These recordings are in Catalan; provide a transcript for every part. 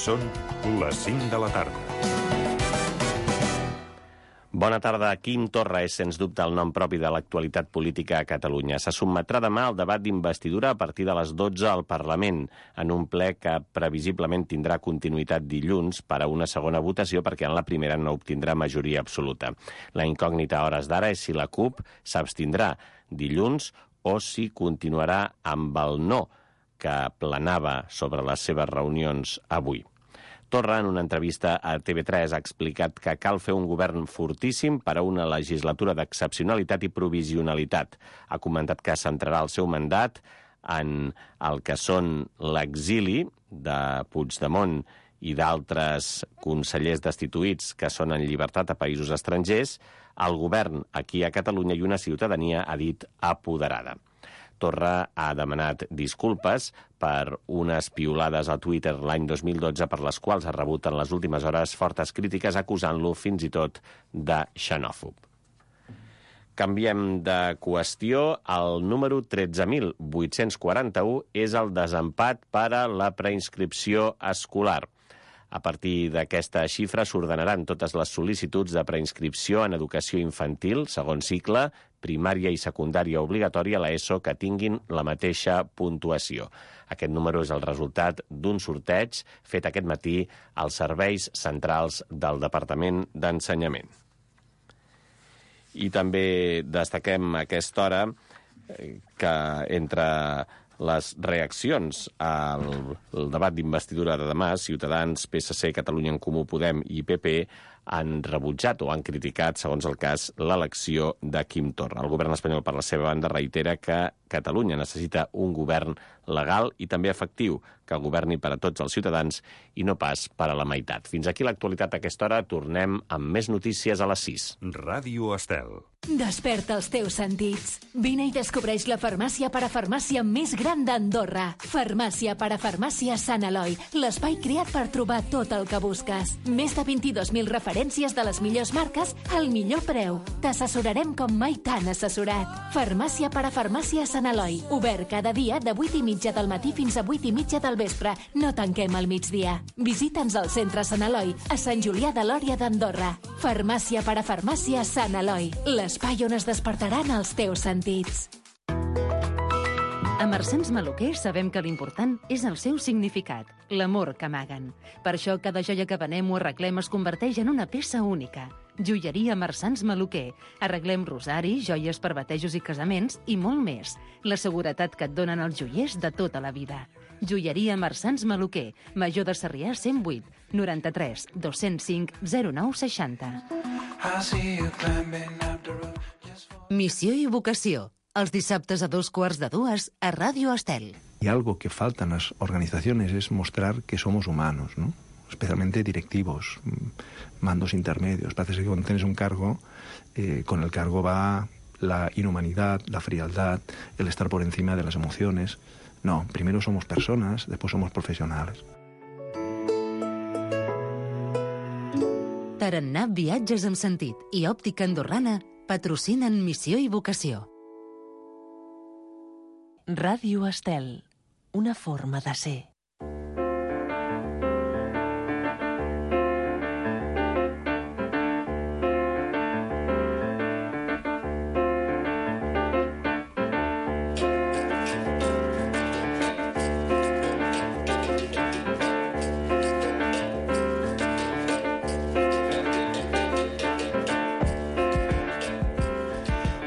Són les 5 de la tarda. Bona tarda. Quim Torra és, sens dubte, el nom propi de l'actualitat política a Catalunya. Se sotmetrà demà al debat d'investidura a partir de les 12 al Parlament, en un ple que previsiblement tindrà continuïtat dilluns per a una segona votació, perquè en la primera no obtindrà majoria absoluta. La incògnita a hores d'ara és si la CUP s'abstindrà dilluns o si continuarà amb el no que planava sobre les seves reunions avui. Torra, en una entrevista a TV3, ha explicat que cal fer un govern fortíssim per a una legislatura d'excepcionalitat i provisionalitat. Ha comentat que centrarà el seu mandat en el que són l'exili de Puigdemont i d'altres consellers destituïts que són en llibertat a països estrangers, el govern aquí a Catalunya i una ciutadania, ha dit, apoderada. Torra ha demanat disculpes per unes piulades a Twitter l'any 2012 per les quals ha rebut en les últimes hores fortes crítiques acusant-lo fins i tot de xenòfob. Canviem de qüestió. El número 13.841 és el desempat per a la preinscripció escolar. A partir d'aquesta xifra s'ordenaran totes les sol·licituds de preinscripció en educació infantil, segon cicle, primària i secundària obligatòria a l'ESO que tinguin la mateixa puntuació. Aquest número és el resultat d'un sorteig fet aquest matí als serveis centrals del Departament d'Ensenyament. I també destaquem a aquesta hora que entre les reaccions al debat d'investidura de demà, Ciutadans, PSC, Catalunya en Comú Podem i PP han rebutjat o han criticat, segons el cas, l'elecció de Quim Torra. El govern espanyol, per la seva banda, reitera que Catalunya necessita un govern legal i també efectiu, que governi per a tots els ciutadans i no pas per a la meitat. Fins aquí l'actualitat a aquesta hora. Tornem amb més notícies a les 6. Ràdio Estel. Desperta els teus sentits. Vine i descobreix la farmàcia parafarmàcia més gran d'Andorra. Farmàcia parafarmàcia Sant Eloi, l'espai creat per trobar tot el que busques. Més de 22.000 referències de les millors marques al millor preu. T'assessorarem com mai t'han assessorat. Farmàcia parafarmàcia Sant Eloi, obert cada dia de 8:30 del matí fins a 8:30 del vespre. No tanquem al migdia. Visita'ns al centre Sant Eloi, a Sant Julià de Lòria d'Andorra. Farmàcia parafarmàcia Sant Eloi, l'espai on es despertaran els teus sentits. A Marsans Maluquer sabem que l'important és el seu significat, l'amor que amaguen. Per això cada joia que venem o arreglem es converteix en una peça única. Joieria Marsans Maluquer. Arreglem rosaris, joies per batejos i casaments i molt més. La seguretat que et donen els joiers de tota la vida. Joieria Marsans Maluquer, Major de Sarrià 108, 93 205 09 60. Missió i vocació. Els dissabtes a 2:15 a Ràdio Estel. Y algo que falta en las organizaciones es mostrar que somos humanos, ¿no? Especialmente directivos, mandos intermedios. Parece que cuando tienes un cargo, con el cargo va la inhumanidad, la frialdad, el estar por encima de las emociones. No, primero somos personas, después somos profesionales. Tarannà Viatges amb Sentit i Òptica Andorrana patrocinen Missió i Vocació. Ràdio Estel, una forma de ser.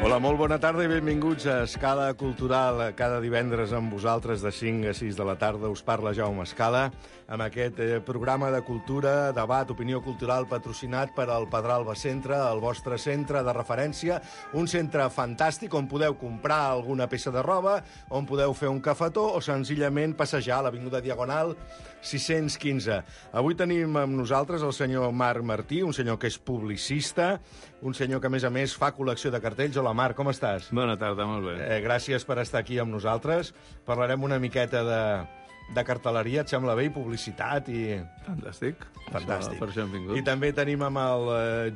Hola, molt bona tarda i benvinguts a Escala Cultural. Cada divendres amb vosaltres de 5 a 6 de la tarda us parla Jaume Escala amb aquest programa de cultura, debat, opinió cultural patrocinat per al Pedralba Centre, el vostre centre de referència, un centre fantàstic on podeu comprar alguna peça de roba, on podeu fer un cafetó o senzillament passejar a l'Avinguda Diagonal 615. Avui tenim amb nosaltres el senyor Marc Martí, un senyor que és publicista, un senyor que, a més, fa col·lecció de cartells. Hola, Marc, com estàs? Bona tarda, molt bé. Gràcies per estar aquí amb nosaltres. Parlarem una miqueta de cartel·leria, et sembla bé, i publicitat i... Fantàstic. Fantàstic. Per això hem vingut. I també tenim amb el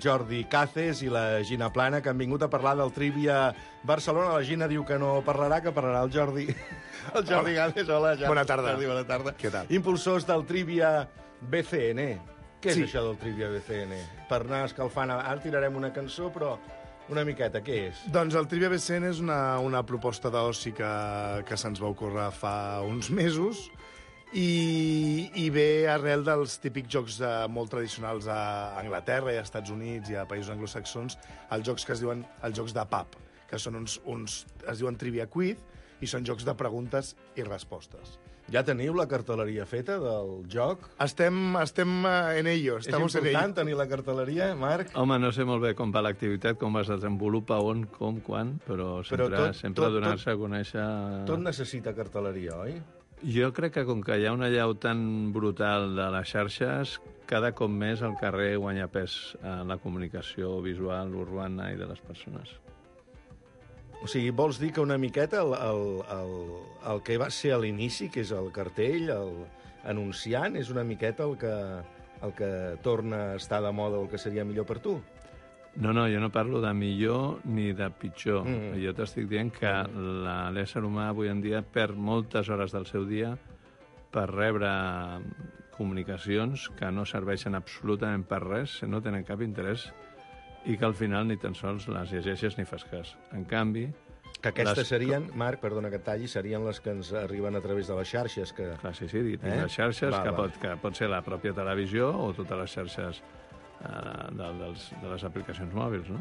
Jordi Caces i la Gina Plana, que han vingut a parlar del Trivia Barcelona. La Gina diu que no parlarà, que parlarà el Jordi. El Jordi Caces, hola, Jordi. Bona tarda. Jordi, bona tarda. Què tal? Impulsors del Trivia BCN. Què és Sí. això del Trivia BCN? Per anar escalfant... Ara tirarem una cançó, però una miqueta, què és? Doncs el Trivia BCN és una proposta d'oci que se'ns va ocórrer fa uns mesos i ve arrel dels típics jocs molt tradicionals a Anglaterra i a Estats Units i a països anglosaxons, els jocs que es diuen els jocs de pub, que són es diuen Trivia Quiz i són jocs de preguntes i respostes. Ja teniu la cartel·leria feta del joc? Estem en ello. És important tenir la cartel·leria, Marc? Home, no sé molt bé com va l'activitat, com es desenvolupa, on, com, quan, però sempre donar-se a conèixer... Tot necessita cartel·leria, oi? Jo crec que com que hi ha una llau tan brutal de les xarxes, cada cop més el carrer guanya pes en la comunicació visual, urbana i de les persones. O sigui, vols dir que una miqueta el que va ser a l'inici, que és el cartell, anunciant, és una miqueta el que torna a estar de moda o el que seria millor per tu? No, jo no parlo de millor ni de pitjor. Jo t'estic dient que l'ésser humà avui en dia perd moltes hores del seu dia per rebre comunicacions que no serveixen absolutament per res, no tenen cap interès, i que al final ni tan sols les llegeixes ni fas cas. En canvi... Que aquestes serien, Marc, perdona que et talli, serien les que ens arriben a través de les xarxes. Que... Clar, sí, les xarxes, que pot ser la pròpia televisió o totes les xarxes de les aplicacions mòbils, no?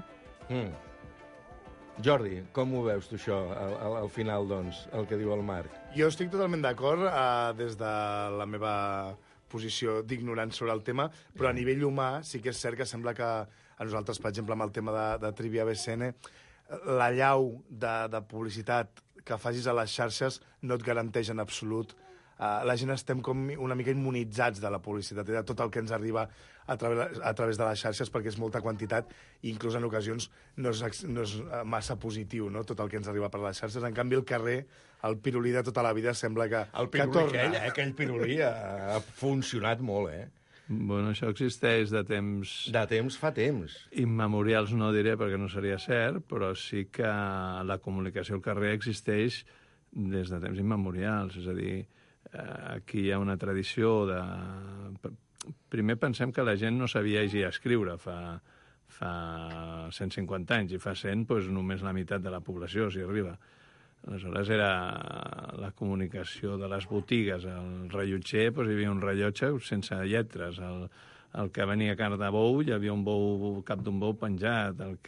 Jordi, com ho veus tu això, al final, doncs, el que diu el Marc? Jo estic totalment d'acord des de la meva posició d'ignorant sobre el tema, però a nivell humà sí que és cert que sembla que a nosaltres, per exemple, amb el tema de Trivia BCN, la llau de publicitat que facis a les xarxes no et garanteix en absolut. La gent estem com una mica immunitzats de la publicitat i de tot el que ens arriba a través de les xarxes, perquè és molta quantitat i inclús en ocasions no és massa positiu, no?, tot el que ens arriba per les xarxes. En canvi, el carrer, el pirulí de tota la vida, sembla que torna. Aquell pirulí ha funcionat molt, Bueno, això existeix de temps... De temps fa temps. Immemorials no diré, perquè no seria cert, però sí que la comunicació al carrer existeix des de temps immemorials. És a dir, aquí hi ha una tradició de... Primer pensem que la gent no sabia llegir i escriure fa 150 anys, i fa 100 doncs, només la meitat de la població s'hi arriba. Aleshores era la comunicació de les botigues. El rellotger, doncs, hi havia un rellotge sense lletres. El que venia carn de bou, hi havia un cap d'un bou penjat. El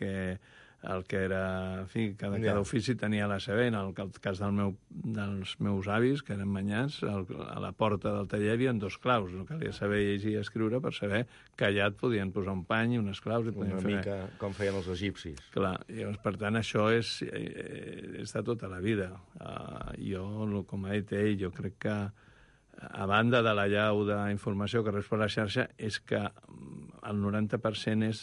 que era... En fi, cada ofici tenia la seva. En el cas dels meus avis, que eren manyats, a la porta del taller hi havia 2 claus. No calia saber llegir i escriure per saber que allà et podien posar un pany i unes claus. Una mica com feien els egipcis. Clar, llavors, per tant, això és de tota la vida. Jo, com ha dit ell, jo crec que a banda de la llau d'informació que reps per la xarxa, és que el 90% és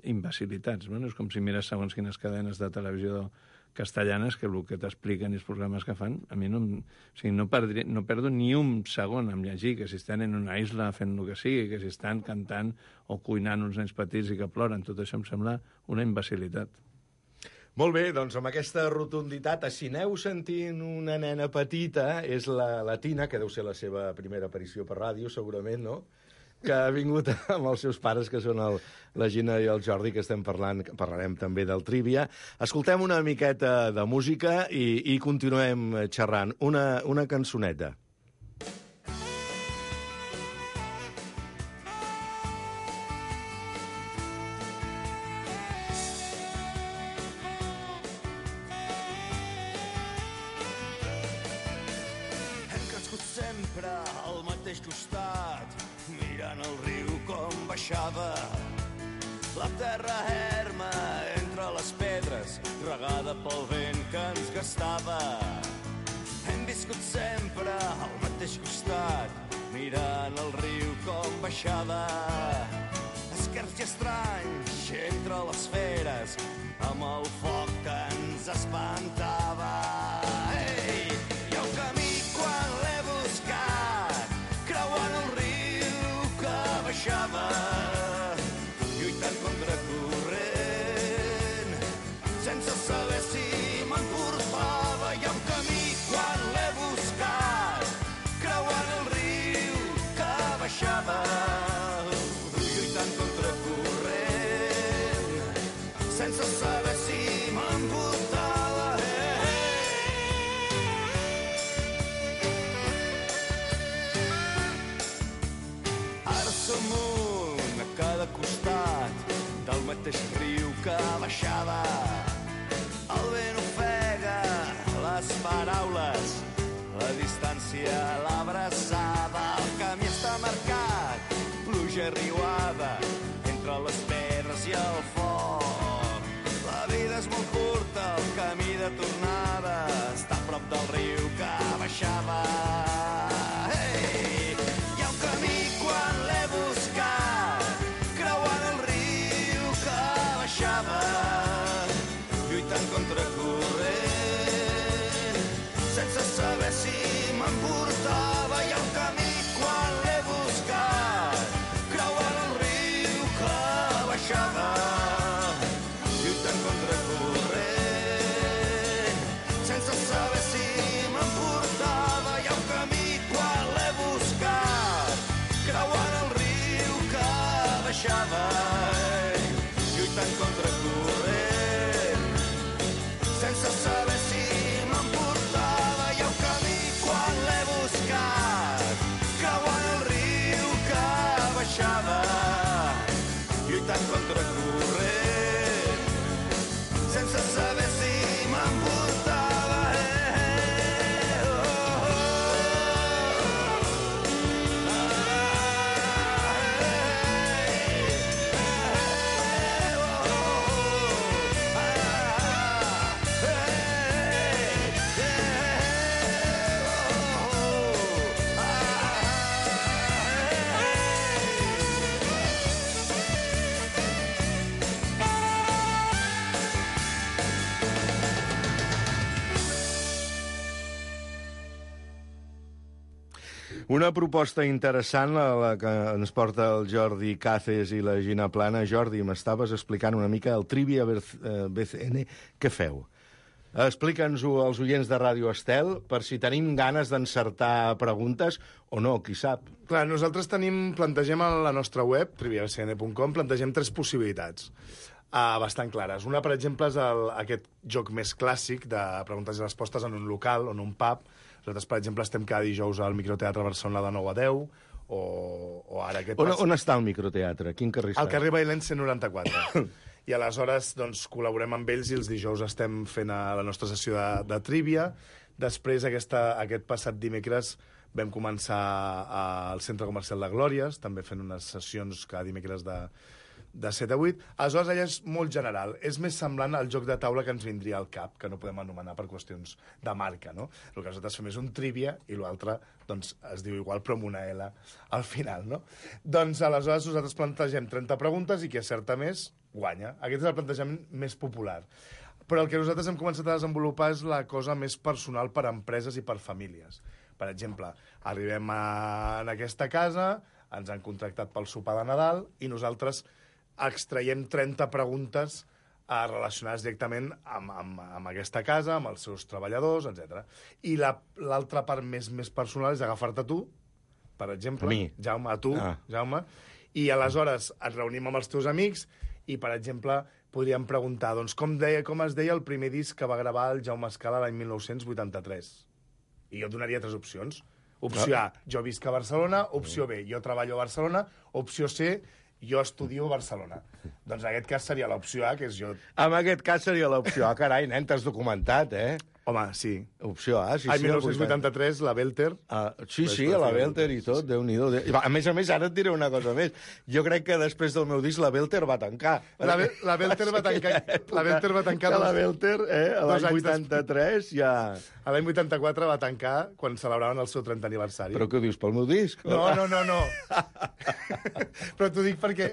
imbecilitats. Bueno, és com si mires segons quines cadenes de televisió castellanes, que el que t'expliquen i els programes que fan, a mi no perdo ni un segon en llegir que si estan en una isla fent el que sigui, que si estan cantant o cuinant uns nens petits i que ploren. Tot això em sembla una imbecilitat. Molt bé, doncs amb aquesta rotunditat, si aneu sentint una nena petita, és la Tina, que deu ser la seva primera aparició per ràdio, segurament, no?, que ha vingut amb els seus pares, que són la Gina i el Jordi, que parlarem també del Trivia. Escoltem una miqueta de música i continuem xerrant. Una cançoneta. Sempre al mateix costat, mirant el riu com baixava. La terra erma entre les pedres, regada pel vent que ens gastava. Hem viscut sempre al mateix costat, mirant el riu com baixava. Esquerps i estranys entre les feres, amb el foc que ens espantava. Ei, hi ha un camí quan l'he buscat, de costat del mateix riu que baixava. El vent ofega les paraules, la distància l'abraçava. El camí està marcat, pluja riuada, entre les pedres i el foc. La vida és molt curta, el camí de tornada està a prop del riu que baixava. Hey! Hi ha un camí quan l'he buscat, creuant el riu que baixava, lluitant contra corrent, sense saber si m'emportava. Hi ha un camí quan l'he buscat, creuant el riu que baixava, lluitant contra corrent, sense saber si m'emportava. Hi ha un camí quan l'he buscat, creuant el riu que baixava, lluitant contra corrent, sense saber si m'emportava. Hi ha un camí quan l'he buscat, creuant el riu que baixava, lluitant contra corrent, sense saber si m'emportava. Una proposta interessant a la que ens porta el Jordi Cáceres i la Gina Plana. Jordi, m'estaves explicant una mica el Trivia BCN. Què feu? Explica'ns-ho als oients de Ràdio Estel, per si tenim ganes d'encertar preguntes o no, qui sap. Clar, nosaltres plantegem a la nostra web, triviabcn.com, plantegem 3 possibilitats bastant clares. Una, per exemple, és aquest joc més clàssic de preguntes i respostes en un local o en un pub. Nosaltres, per exemple, estem cada dijous al Microteatre Barcelona de 9 a 10, o ara aquest... On està el microteatre? Quin carrer està? Al carrer Bailén 194. I aleshores doncs, col·laborem amb ells i els dijous estem fent la nostra sessió de trivia. Després, aquest passat dimecres, vam començar al Centre Comercial de Glòries, també fent unes sessions cada dimecres de 7 a 8. Aleshores, allà és molt general. És més semblant al joc de taula que ens vindria al cap, que no podem anomenar per qüestions de marca, no? El que nosaltres fem és un trivia i l'altre doncs, es diu igual però amb una L al final, no? Doncs aleshores nosaltres plantegem 30 preguntes i qui acerta més guanya. Aquest és el plantejament més popular. Però el que nosaltres hem començat a desenvolupar és la cosa més personal per a empreses i per famílies. Per exemple, arribem en aquesta casa, ens han contractat pel sopar de Nadal i nosaltres extraiem 30 preguntes relacionades directament amb aquesta casa, amb els seus treballadors, etc. I l'altra part més personal és agafar-te tu, per exemple. A mi? Jaume, a tu, Jaume. I aleshores ens reunim amb els teus amics i, per exemple, podríem preguntar doncs, com es deia el primer disc que va gravar el Jaume Escala l'any 1983. I jo donaria 3 opcions. Opció A, jo visc a Barcelona. Opció B, jo treballo a Barcelona. Opció C, jo estudio a Barcelona. Doncs en aquest cas seria l'opció A, que és jo... En aquest cas seria l'opció A. Carai, nen, t'has documentat, eh? Home, sí. Opció A, sí. El 1983, la Belter. Sí, la Belter i tot, Déu-n'hi-do. A més, ara et diré una cosa més. Jo crec que després del meu disc la Belter va tancar. La Belter va tancar... La Belter va tancar... La Belter, l'any 83, ja... L'any 84 va tancar quan celebraven el seu 30 aniversari. Però què dius, pel meu disc? No. Però t'ho dic perquè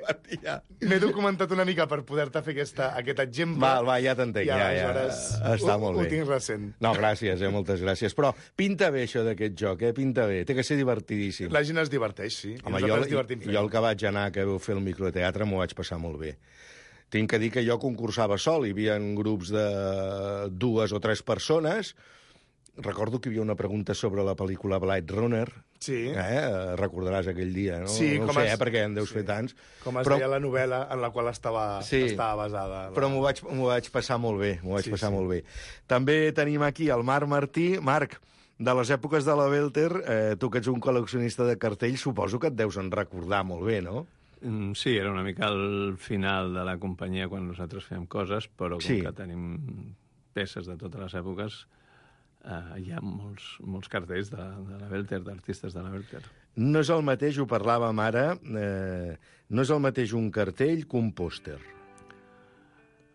m'he documentat una mica per poder-te fer aquest exemple. Va, ja t'entenc, ja. Està molt bé. Ho tinc recent. No, gràcies, moltes gràcies. Però pinta bé això d'aquest joc, pinta bé. Té que ser divertidíssim. La gent es diverteix, sí. Home, jo el que vaig anar que vau fer el microteatre m'ho vaig passar molt bé. Tinc que dir que jo concursava sol, hi havia grups de 2 o 3 persones. Recordo que hi havia una pregunta sobre la pel·lícula Blade Runner. Sí. Recordaràs aquell dia, no? Sí, no ho sé, perquè en deus fer tants. Com es deia la novel·la en la qual estava basada. Però m'ho vaig passar molt bé, molt bé. També tenim aquí el Marc Martí. Marc, de les èpoques de la Belter, tu que ets un col·leccionista de cartells, suposo que et deus en recordar molt bé, no? Sí, era una mica el final de la companyia quan nosaltres fèiem coses, però com que tenim peces de totes les èpoques, hi ha molts cartells de la Welter, d'artistes de la Welter. No és el mateix, ho parlàvem ara, no és el mateix un cartell que un pòster.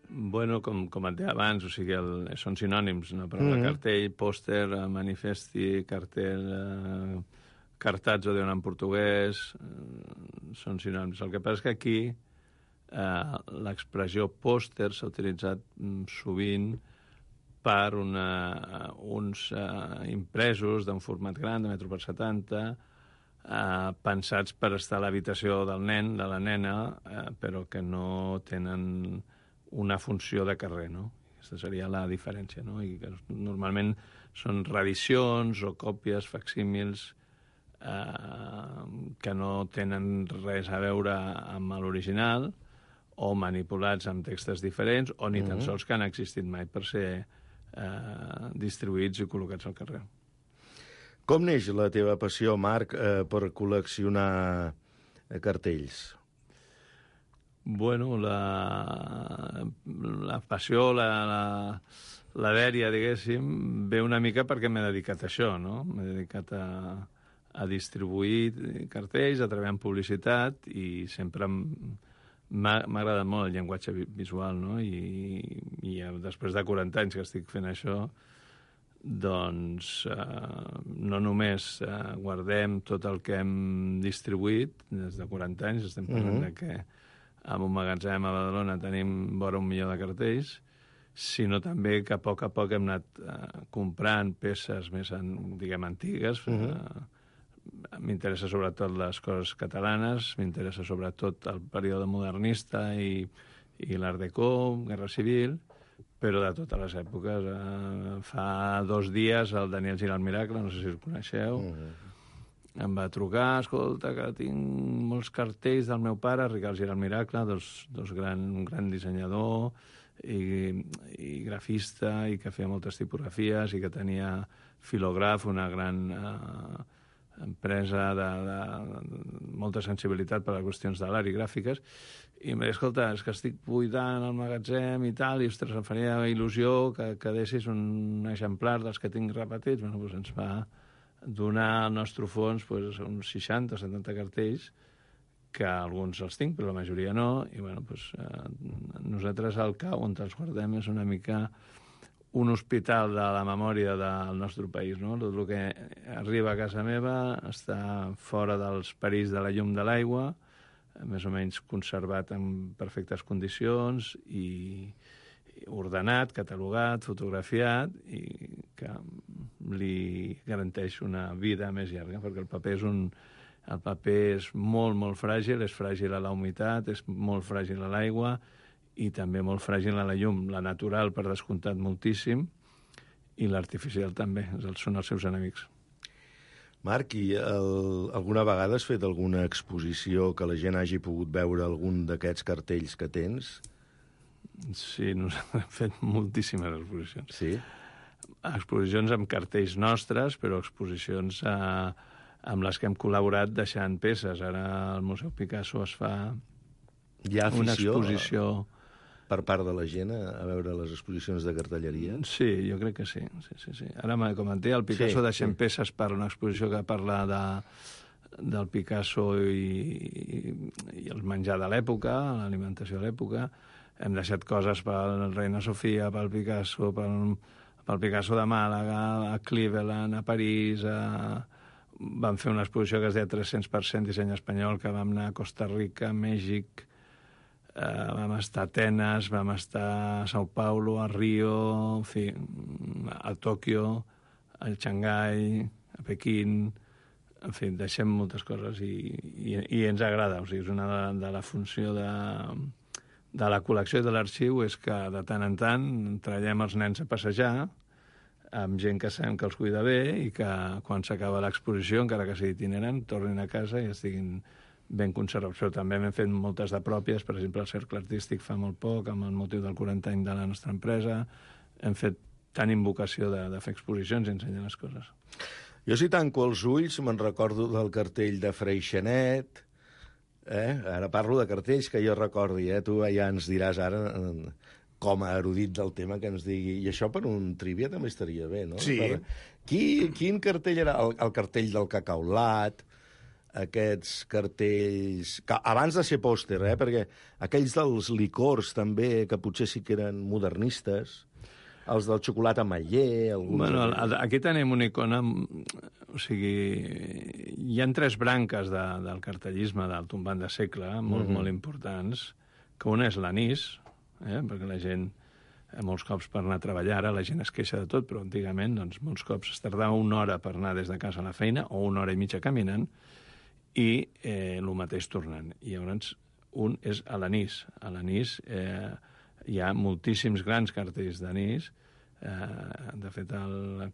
Bueno, com et deia abans, o sigui, són sinònims, no? Però cartell, pòster, manifesti, cartell, cartazzo, diuen en portuguès, són sinònims. El que passa és que aquí l'expressió pòster s'ha utilitzat sovint per uns impresos d'un format gran, de metro per 70, pensats per estar a l'habitació del nen, de la nena, però que no tenen una funció de carrer, no? Aquesta seria la diferència, no? I que normalment són reedicions o còpies, facsímils, que no tenen res a veure amb l'original, o manipulats amb textos diferents, o ni tan sols que han existit mai per ser distribuïts i col·locats al carrer. Com neix la teva passió, Marc, per col·leccionar cartells? Bueno, la passió, la dèria, diguéssim, ve una mica perquè m'he dedicat a això, no? M'he dedicat a distribuir cartells, a treballar en publicitat, i sempre m'ha agradat molt el llenguatge visual, no? I després de 40 anys que estic fent això, doncs no només guardem tot el que hem distribuït des de 40 anys, estem parlant de que en un magatzem a Badalona tenim vora 1 milió de cartells, sinó també que a poc hem anat comprant peces més, diguem, antigues. M'interessa sobretot les coses catalanes, m'interessa sobretot el període modernista i l'Art Déco, Guerra Civil, però de totes les èpoques. Fa 2 dies el Daniel Giralt Miracle, no sé si el coneixeu, em va trucar, escolta, que tinc molts cartells del meu pare, Ricard Giralt Miracle, un gran dissenyador i grafista, i que feia moltes tipografies, i que tenia Filograf, una gran empresa de molta sensibilitat per a qüestions de l'art i gràfiques, i em va dir, escolta, és que estic buidant el magatzem i tal, i ostres, em faria il·lusió que deixis un exemplar dels que tinc repetits. Bueno, doncs ens va donar al nostre fons uns 60 o 70 cartells, que alguns els tinc, però la majoria no, i bueno, nosaltres al CAU, on els guardem, és una mica un hospital de la memòria del nostre país, no? Tot el que arriba a casa meva està fora dels perills de la llum de l'aigua, més o menys conservat en perfectes condicions i ordenat, catalogat, fotografiat, i que li garanteix una vida més llarga, perquè el paper és molt, molt fràgil, és fràgil a la humitat, és molt fràgil a l'aigua i també molt fràgil a la llum. La natural, per descomptat, moltíssim, i l'artificial també, són els seus enemics. Marc, i alguna vegada has fet alguna exposició que la gent hagi pogut veure algun d'aquests cartells que tens? Sí, nosaltres hem fet moltíssimes exposicions. Sí? Exposicions amb cartells nostres, però exposicions amb les que hem col·laborat deixant peces. Ara al Museu Picasso es fa una exposició per part de la gent a veure les exposicions de cartelleria? Sí, jo crec que sí. Ara, com et deia, el Picasso deixem peces per una exposició que parla del Picasso i el menjar de l'època, l'alimentació de l'època. Hem deixat coses per la Reina Sofia, pel Picasso, pel Picasso de Màlaga, a Cleveland, a París. Vam fer una exposició que es deia 300% disseny espanyol, que vam anar a Costa Rica, a Mèxic, vam estar a Atenes, vam estar a Sao Paulo, a Rio, en fi, a Tòquio, a Xangai, a Pequín. En fi, deixem moltes coses i ens agrada. O sigui, és una de la funció de la col·lecció i de l'arxiu, és que de tant en tant traiem els nens a passejar amb gent que sabem que els cuida bé i que quan s'acaba l'exposició, encara que sigui itinerant, tornin a casa i estiguin ben conservats. Però també hem fet moltes de pròpies, per exemple, el Cercle Artístic fa molt poc, amb el motiu del 40 any de la nostra empresa. Hem fet tant invocació de fer exposicions i ensenyar les coses. Jo, si tanco els ulls, me'n recordo del cartell de Freixenet, Ara parlo de cartells que jo recordi, tu ja ens diràs ara, com a erudit del tema, que ens digui... I això per un trivia també estaria bé, no? Sí. Quin cartell era? El cartell del cacaulat, aquests cartells... Abans de ser pòster, perquè aquells dels licors també, que potser sí que eren modernistes, els del xocolata ametller... Bueno, aquí tenim una icona... O sigui, hi ha 3 branques del cartellisme del tombant de segle, molt importants, que una és l'anís, perquè la gent, molts cops per anar a treballar, ara la gent es queixa de tot, però antigament doncs, molts cops es tardava 1 hora per anar des de casa a la feina, o 1 hora i mitja caminant, i el mateix tornant. I llavors, un és a l'anís. A l'anís hi ha moltíssims grans cartells d'anís. De fet, el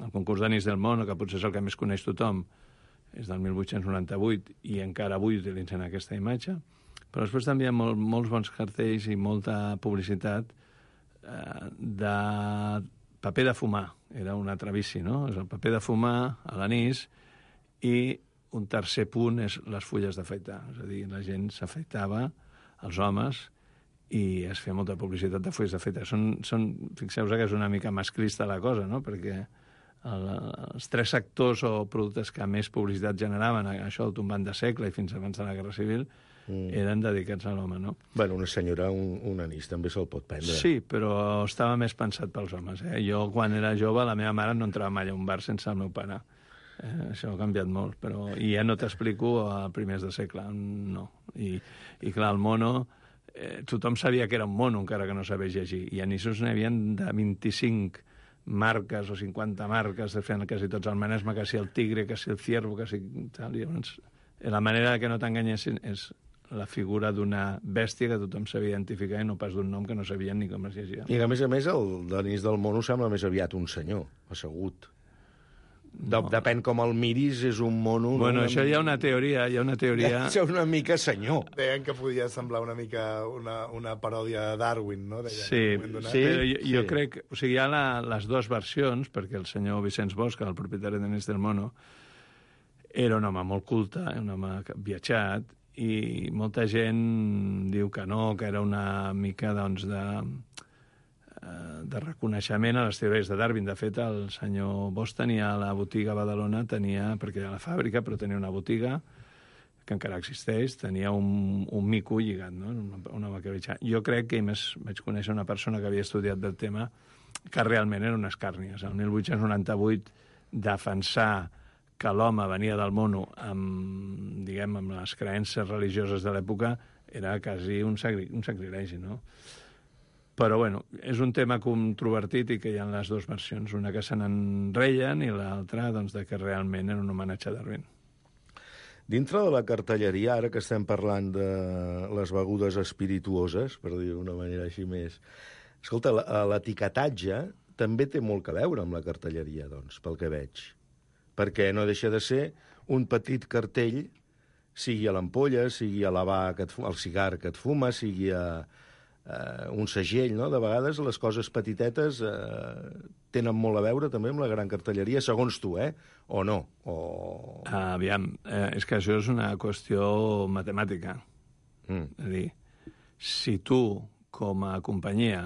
concurs d'anís del món, que potser és el que més coneix tothom, és del 1898 i encara avui utilitzen aquesta imatge. Però després també hi ha molts bons cartells i molta publicitat de paper de fumar. Era un altre vici, no? És el paper de fumar a l'anís, i un tercer punt és les fulles d'afaitar. És a dir, la gent s'afeitava, els homes, i es feia molta publicitat de fulles d'afaitar. Fixeu-vos que és una mica masclista la cosa, no? Perquè els 3 sectors o productes que més publicitat generaven, això del tombant de segle i fins abans de la Guerra Civil, eren dedicats a l'home, no? Bueno, una senyora, un anís, també se'l pot prendre. Sí, però estava més pensat pels homes. Jo, quan era jove, la meva mare no entrava mai a un bar sense el meu pare. Això ha canviat molt, però... I ja no t'explico a primers de segle, no. I clar, el mono... tothom sabia que era un mono, encara que no sabés llegir. I anissos n'hi havia de 25 marques o 50 marques, de fer quasi tots el Manesme, que si el tigre, que si el ciervo, que si tal. I llavors, la manera que no t'enganyessin és la figura d'una bèstia que tothom sabia identificar i no pas d'un nom que no sabien ni com es llegia. I a més, el d'anís del mono sembla més aviat un senyor, assegut. Depèn com el miris, és un mono... Bueno, això hi ha una teoria... Això és una mica senyor. Deien que podia semblar una mica una paròdia de Darwin, no? Sí, però jo crec... O sigui, hi ha les 2 versions, perquè el senyor Vicenç Bosch, el propietari d'Anís del Mono, era un home molt culte, un home viatjat, i molta gent diu que no, que era una mica, doncs, de reconeixement a les teories de Darwin. De fet, el senyor Bosch tenia la botiga a Badalona, perquè era la fàbrica, però tenia una botiga que encara existeix, tenia un mico lligat, no? Un home que jo crec que vaig conèixer una persona que havia estudiat del tema, que realment eren unes càrnies. El 1898, defensar que l'home venia del mono amb les creences religioses de l'època era quasi un sacrilegi, no? Però, bueno, és un tema controvertit i que hi ha les 2 versions, una que se n'enreien i l'altra, doncs, de que realment era un homenatge a Darwin. Dintre de la cartelleria, ara que estem parlant de les begudes espirituoses, per dir d'una manera així més... Escolta, l'etiquetatge també té molt a veure amb la cartelleria, doncs, pel que veig. Perquè no deixa de ser un petit cartell, sigui a l'ampolla, sigui a al cigar que et fuma, sigui a un segell, no? De vegades les coses petitetes tenen molt a veure també amb la gran cartelleria, segons tu, o no? Aviam, és que això és una qüestió matemàtica. És a dir, si tu, com a companyia,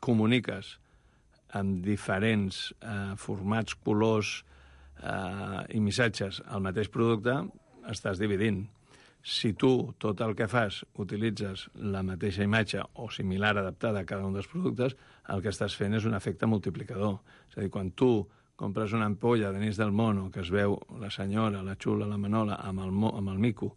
comuniques amb diferents formats, colors i missatges al mateix producte, estàs dividint. Si tu, tot el que fas, utilitzes la mateixa imatge o similar adaptada a cada un dels productes, el que estàs fent és un efecte multiplicador. És a dir, quan tu compres una ampolla d'anís del mono que es veu la senyora, la xula, la manola amb el mico,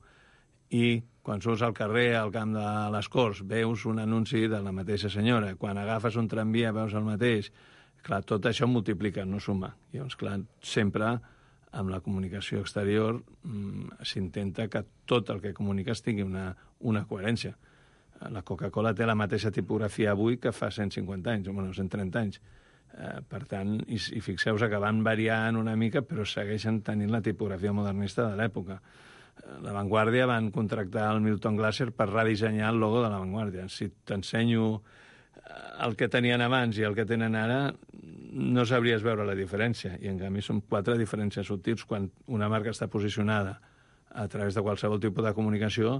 i quan surts al carrer, al camp de les Corts, veus un anunci de la mateixa senyora, quan agafes un tramvia veus el mateix, clar, tot això multiplica, no suma. I llavors, clar, sempre amb la comunicació exterior s'intenta que tot el que comuniques tingui una coherència. La Coca-Cola té la mateixa tipografia avui que fa 150 anys, o 130 anys. Per tant, i fixeu-vos que van variant una mica, però segueixen tenint la tipografia modernista de l'època. La Vanguardia van contractar el Milton Glaser per redissenyar el logo de la Vanguardia. Si t'ensenyo el que tenien abans i el que tenen ara, no sabries veure la diferència. I, en canvi, són 4 diferències subtils quan una marca està posicionada a través de qualsevol tipus de comunicació,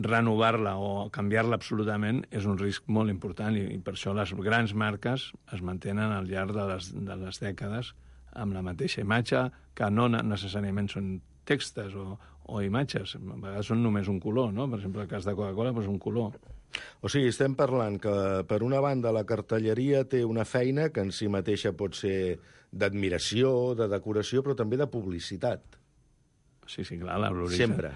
renovar-la o canviar-la absolutament és un risc molt important i per això les grans marques es mantenen al llarg de les dècades amb la mateixa imatge, que no necessàriament són textos o imatges, a vegades són només un color, no? Per exemple, el cas de Coca-Cola, doncs un color. O sigui, estem parlant que, per una banda, la cartelleria té una feina que en si mateixa pot ser d'admiració, de decoració, però també de publicitat. Sí, clar, l'origen. Sempre.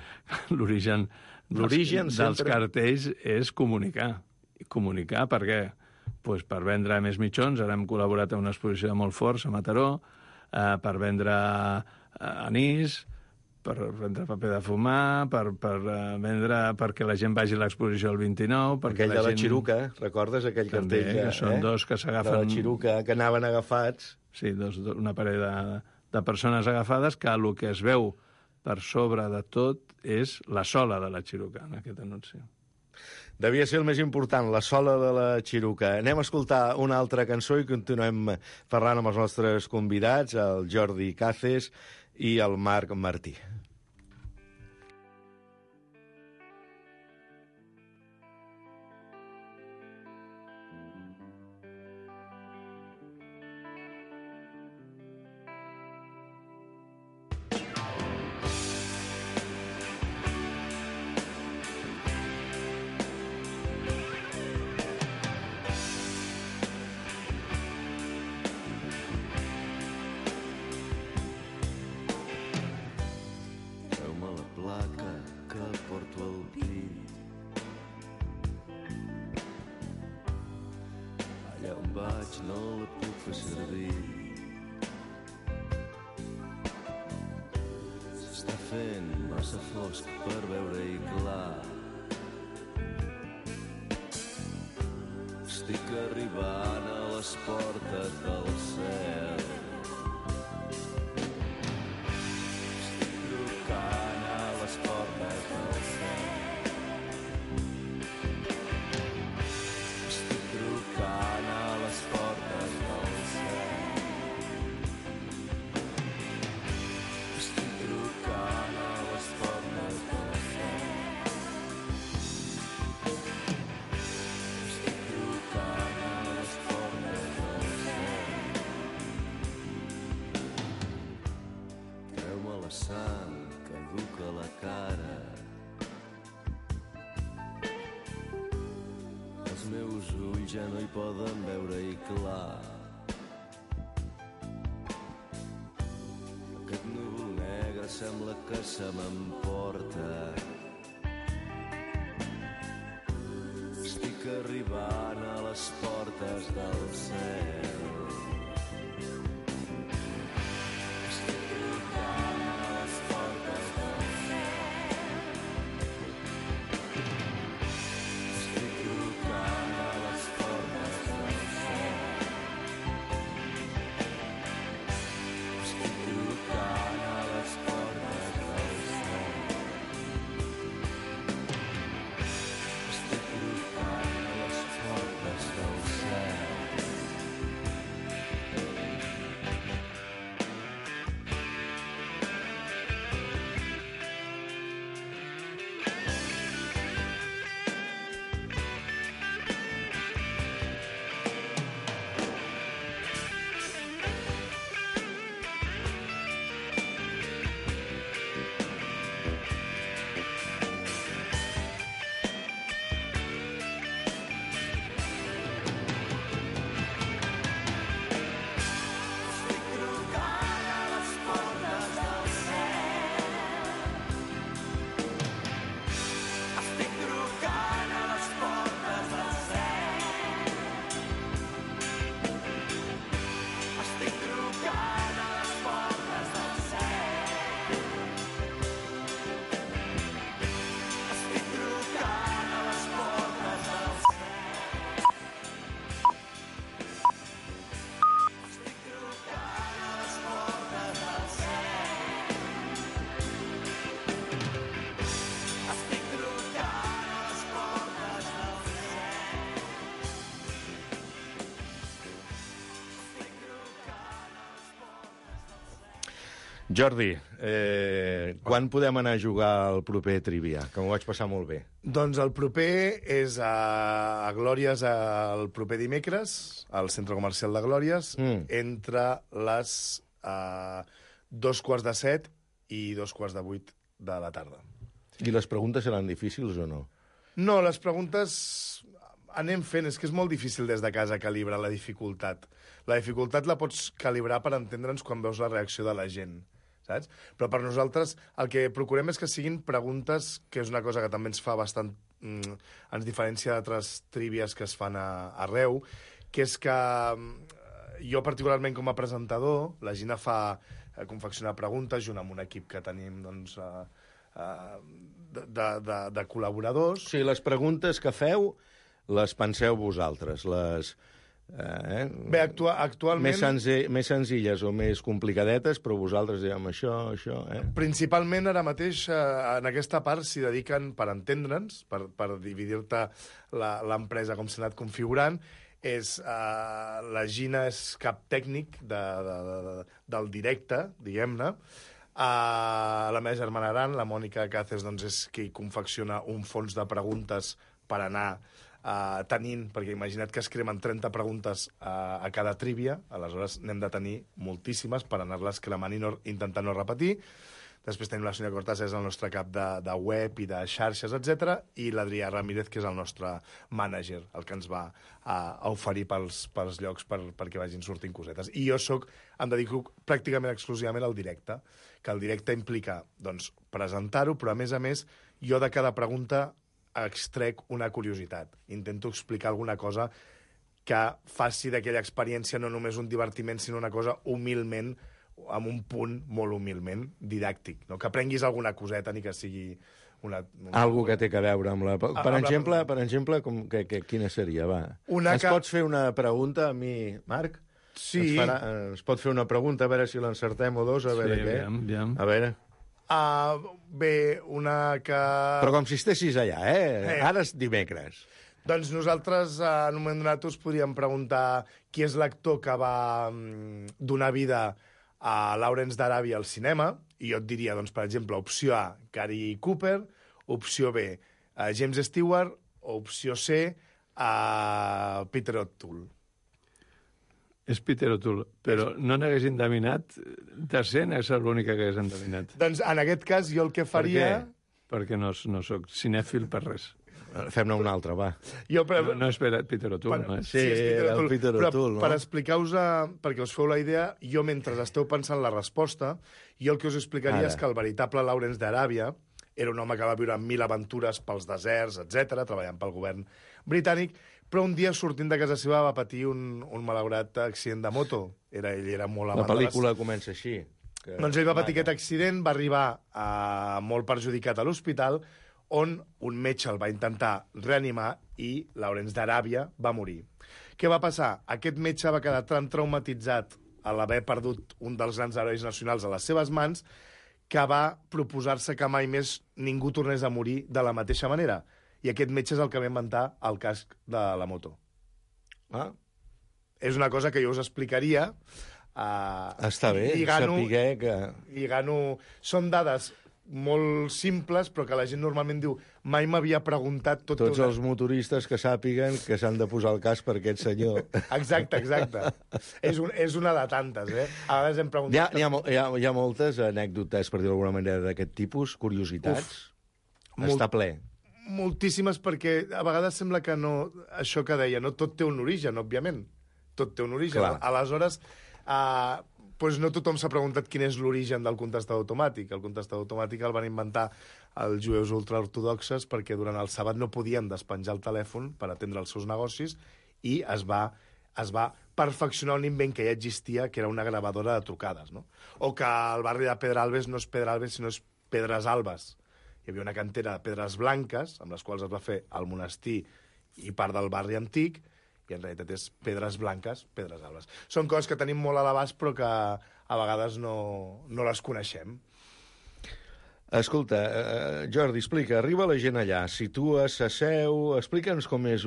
L'origen dels cartells és comunicar. Comunicar per què? Pues per vendre més mitjons. Ara hem col·laborat en una exposició de molt forts a Mataró, per vendre anís, per vendre paper de fumar, per vendre perquè la gent vagi a l'exposició el 29... Aquell de la Xiruca, recordes aquell cartell? Que són dos que s'agafen... De la Xiruca, que anaven agafats. Sí, una parell de persones agafades, que el que es veu per sobre de tot és la sola de la Xiruca, en aquest anunci. Devia ser el més important, la sola de la Xiruca. Anem a escoltar una altra cançó i continuem parlant amb els nostres convidats, el Jordi Caces i el Marc Martí. No la puc fer servir. S'està fent massa fosc per veure-hi clar. Estic arribant a les portes del cel. Estic trucant a les portes del cel. Estic trucant a les portes del cel. Estic trucant a les portes del cel. Estic trucant a les portes del cel. Treu-me la sang que duc a la cara. Els meus ulls ja no hi poden veure-hi clar. Aquest núvol negre sembla que se m'emporta. Estic arribant a les portes del cel. Estic trucant a les portes del cel. Estic trucant a les portes del cel. Estic trucant a les portes del cel. Estic trucant a les portes del cel. Jordi, quan podem anar a jugar al proper Trivia? Que m'ho vaig passar molt bé. Doncs el proper és a Glòries el proper dimecres, al Centre Comercial de Glòries, entre les 6:45 i 7:15 de la tarda. I les preguntes seran difícils o no? No, les preguntes anem fent. És que és molt difícil des de casa calibrar la dificultat. La dificultat la pots calibrar per entendre'ns quan veus la reacció de la gent, saps? Però per nosaltres el que procurem és que siguin preguntes, que és una cosa que també ens fa bastant... ens diferencia d'altres trívies que es fan arreu, que és que jo particularment com a presentador, la Gina fa confeccionar preguntes junt amb un equip que tenim, doncs... de col·laboradors. Sí, les preguntes que feu les penseu vosaltres, les... Bé, actualment... Més senzilles o més complicadetes, però vosaltres diem això... Principalment, ara mateix, en aquesta part s'hi dediquen, per entendre'ns, per dividir-te l'empresa com s'ha anat configurant, la Gina és cap tècnic del directe, diguem-ne. La meva germana gran, la Mònica Cáceres, doncs és qui confecciona un fons de preguntes per anar tenint, perquè imagina't que es cremen 30 preguntes a cada trívia, aleshores n'hem de tenir moltíssimes per anar-les cremant i intentar no repetir. Després tenim la Sònia Cortázar, és el nostre cap de web i de xarxes, etc. I l'Adrià Ramírez, que és el nostre mànager, el que ens va oferir pels llocs perquè vagin sortint cosetes. I jo em dedico pràcticament exclusivament al directe, que el directe implica doncs, presentar-ho, però a més, jo de cada pregunta extrec una curiositat. Intento explicar alguna cosa que faci d'aquella experiència no només un divertiment, sinó una cosa humilment, amb un punt molt humilment didàctic, no? Que aprenguis alguna coseta, ni que sigui Algo que té que veure amb la... Per exemple, quina seria, va? Ens pots fer una pregunta a mi, Marc? Sí. Ens pot fer una pregunta, a veure si l'encertem o dos, a veure què. Aviam. A veure... Bé, una que... Però com si estessis allà, Ara és dimecres. Doncs nosaltres, en un moment donat, us podríem preguntar qui és l'actor que va donar vida a Lawrence d'Aràbia al cinema, i jo et diria, doncs, per exemple, opció A, Gary Cooper, opció B, James Stewart, o opció C, Peter O'Toole. És Peter O'Toole, però no n'hagués endevinat, tercer n'hagués estat l'única que hagués endevinat. Doncs en aquest cas jo el que faria... Perquè no soc cinèfil per res. Fem-ne una altra, va. No és Peter O'Toole, no és? Sí, era el Peter O'Toole, no? Per explicar-vos, perquè us feu la idea, jo mentre esteu pensant la resposta, jo el que us explicaria és que el veritable Lawrence d'Aràbia era un home que va viure 1000 aventures pels deserts, etc, treballant pel govern britànic, però un dia, sortint de casa seva, va patir un malaurat accident de moto. Ell era molt amant. La pel·lícula comença així. Doncs ell va patir aquest accident, va arribar molt perjudicat a l'hospital, on un metge el va intentar reanimar i Lawrence d'Aràbia va morir. Què va passar? Aquest metge va quedar tan traumatitzat a l'haver perdut un dels grans herois nacionals a les seves mans que va proposar-se que mai més ningú tornés a morir de la mateixa manera. I aquest metge és el que va inventar el casc de la moto. És una cosa que jo us explicaria. Està bé, saber que... Són dades molt simples, però que la gent normalment diu mai m'havia preguntat... Tots els motoristes que sàpiguen que s'han de posar el casc per aquest senyor. Exacte. És una de tantes, A vegades hem preguntat... Hi ha moltes anècdotes, per dir-ho d'alguna manera, d'aquest tipus, curiositats. Està ple. Moltíssimes, perquè a vegades sembla que no... Això que deia, no tot té un origen, òbviament. Tot té un origen. Clar. Aleshores... doncs no tothom s'ha preguntat quin és l'origen del contestador automàtic. El contestador automàtic el van inventar els jueus ultraortodoxes perquè durant el sàbat no podien despenjar el telèfon per atendre els seus negocis i es va perfeccionar un invent que ja existia, que era una gravadora de trucades, no? O que el barri de Pedralbes no és Pedralbes, sinó és Pedres Albes. Hi havia una cantera de pedres blanques, amb les quals es va fer el monestir i part del barri antic, i en realitat és pedres blanques, pedres albes. Són coses que tenim molt a l'abast, però que a vegades no les coneixem. Escolta, Jordi, explica, arriba la gent allà, situes, s'asseu, explica'ns com és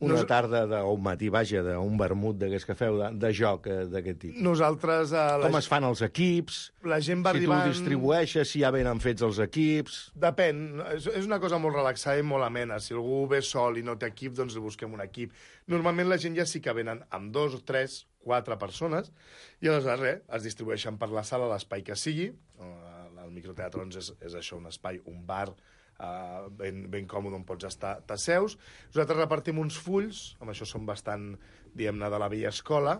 una tarda o un matí, vaja, d'un vermut d'aquests que feu, de joc d'aquest tipus? Nosaltres... Com es fan els equips? La gent va si arribant... tu distribueixes, si ja venen fets els equips... Depèn. És una cosa molt relaxada i molt amena. Si algú ve sol i no té equip, doncs li busquem un equip. Normalment la gent ja sí que venen amb 2, 3, 4 persones i aleshores es distribueixen per la sala, l'espai que sigui. El microteatre doncs, és això, un espai, un bar, ben còmode on pots estar, t'asseus. Nosaltres repartim uns fulls, amb això som bastant, diguem-ne, de la vella escola,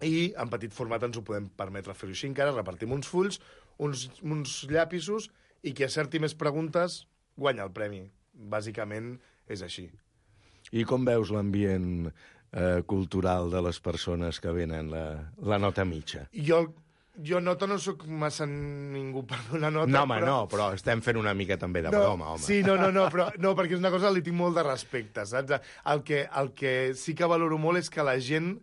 i en petit format ens ho podem permetre fer-ho així encara. Repartim uns fulls, uns llapisos, i qui acerti més preguntes guanya el premi. Bàsicament és així. I com veus l'ambient cultural de les persones que venen, la nota mitja? Jo nota no sóc massa ningú per donar nota. No, home, però estem fent una mica també de broma, home. Sí, però perquè és una cosa que li tinc molt de respecte, saps? El que sí que valoro molt és que la gent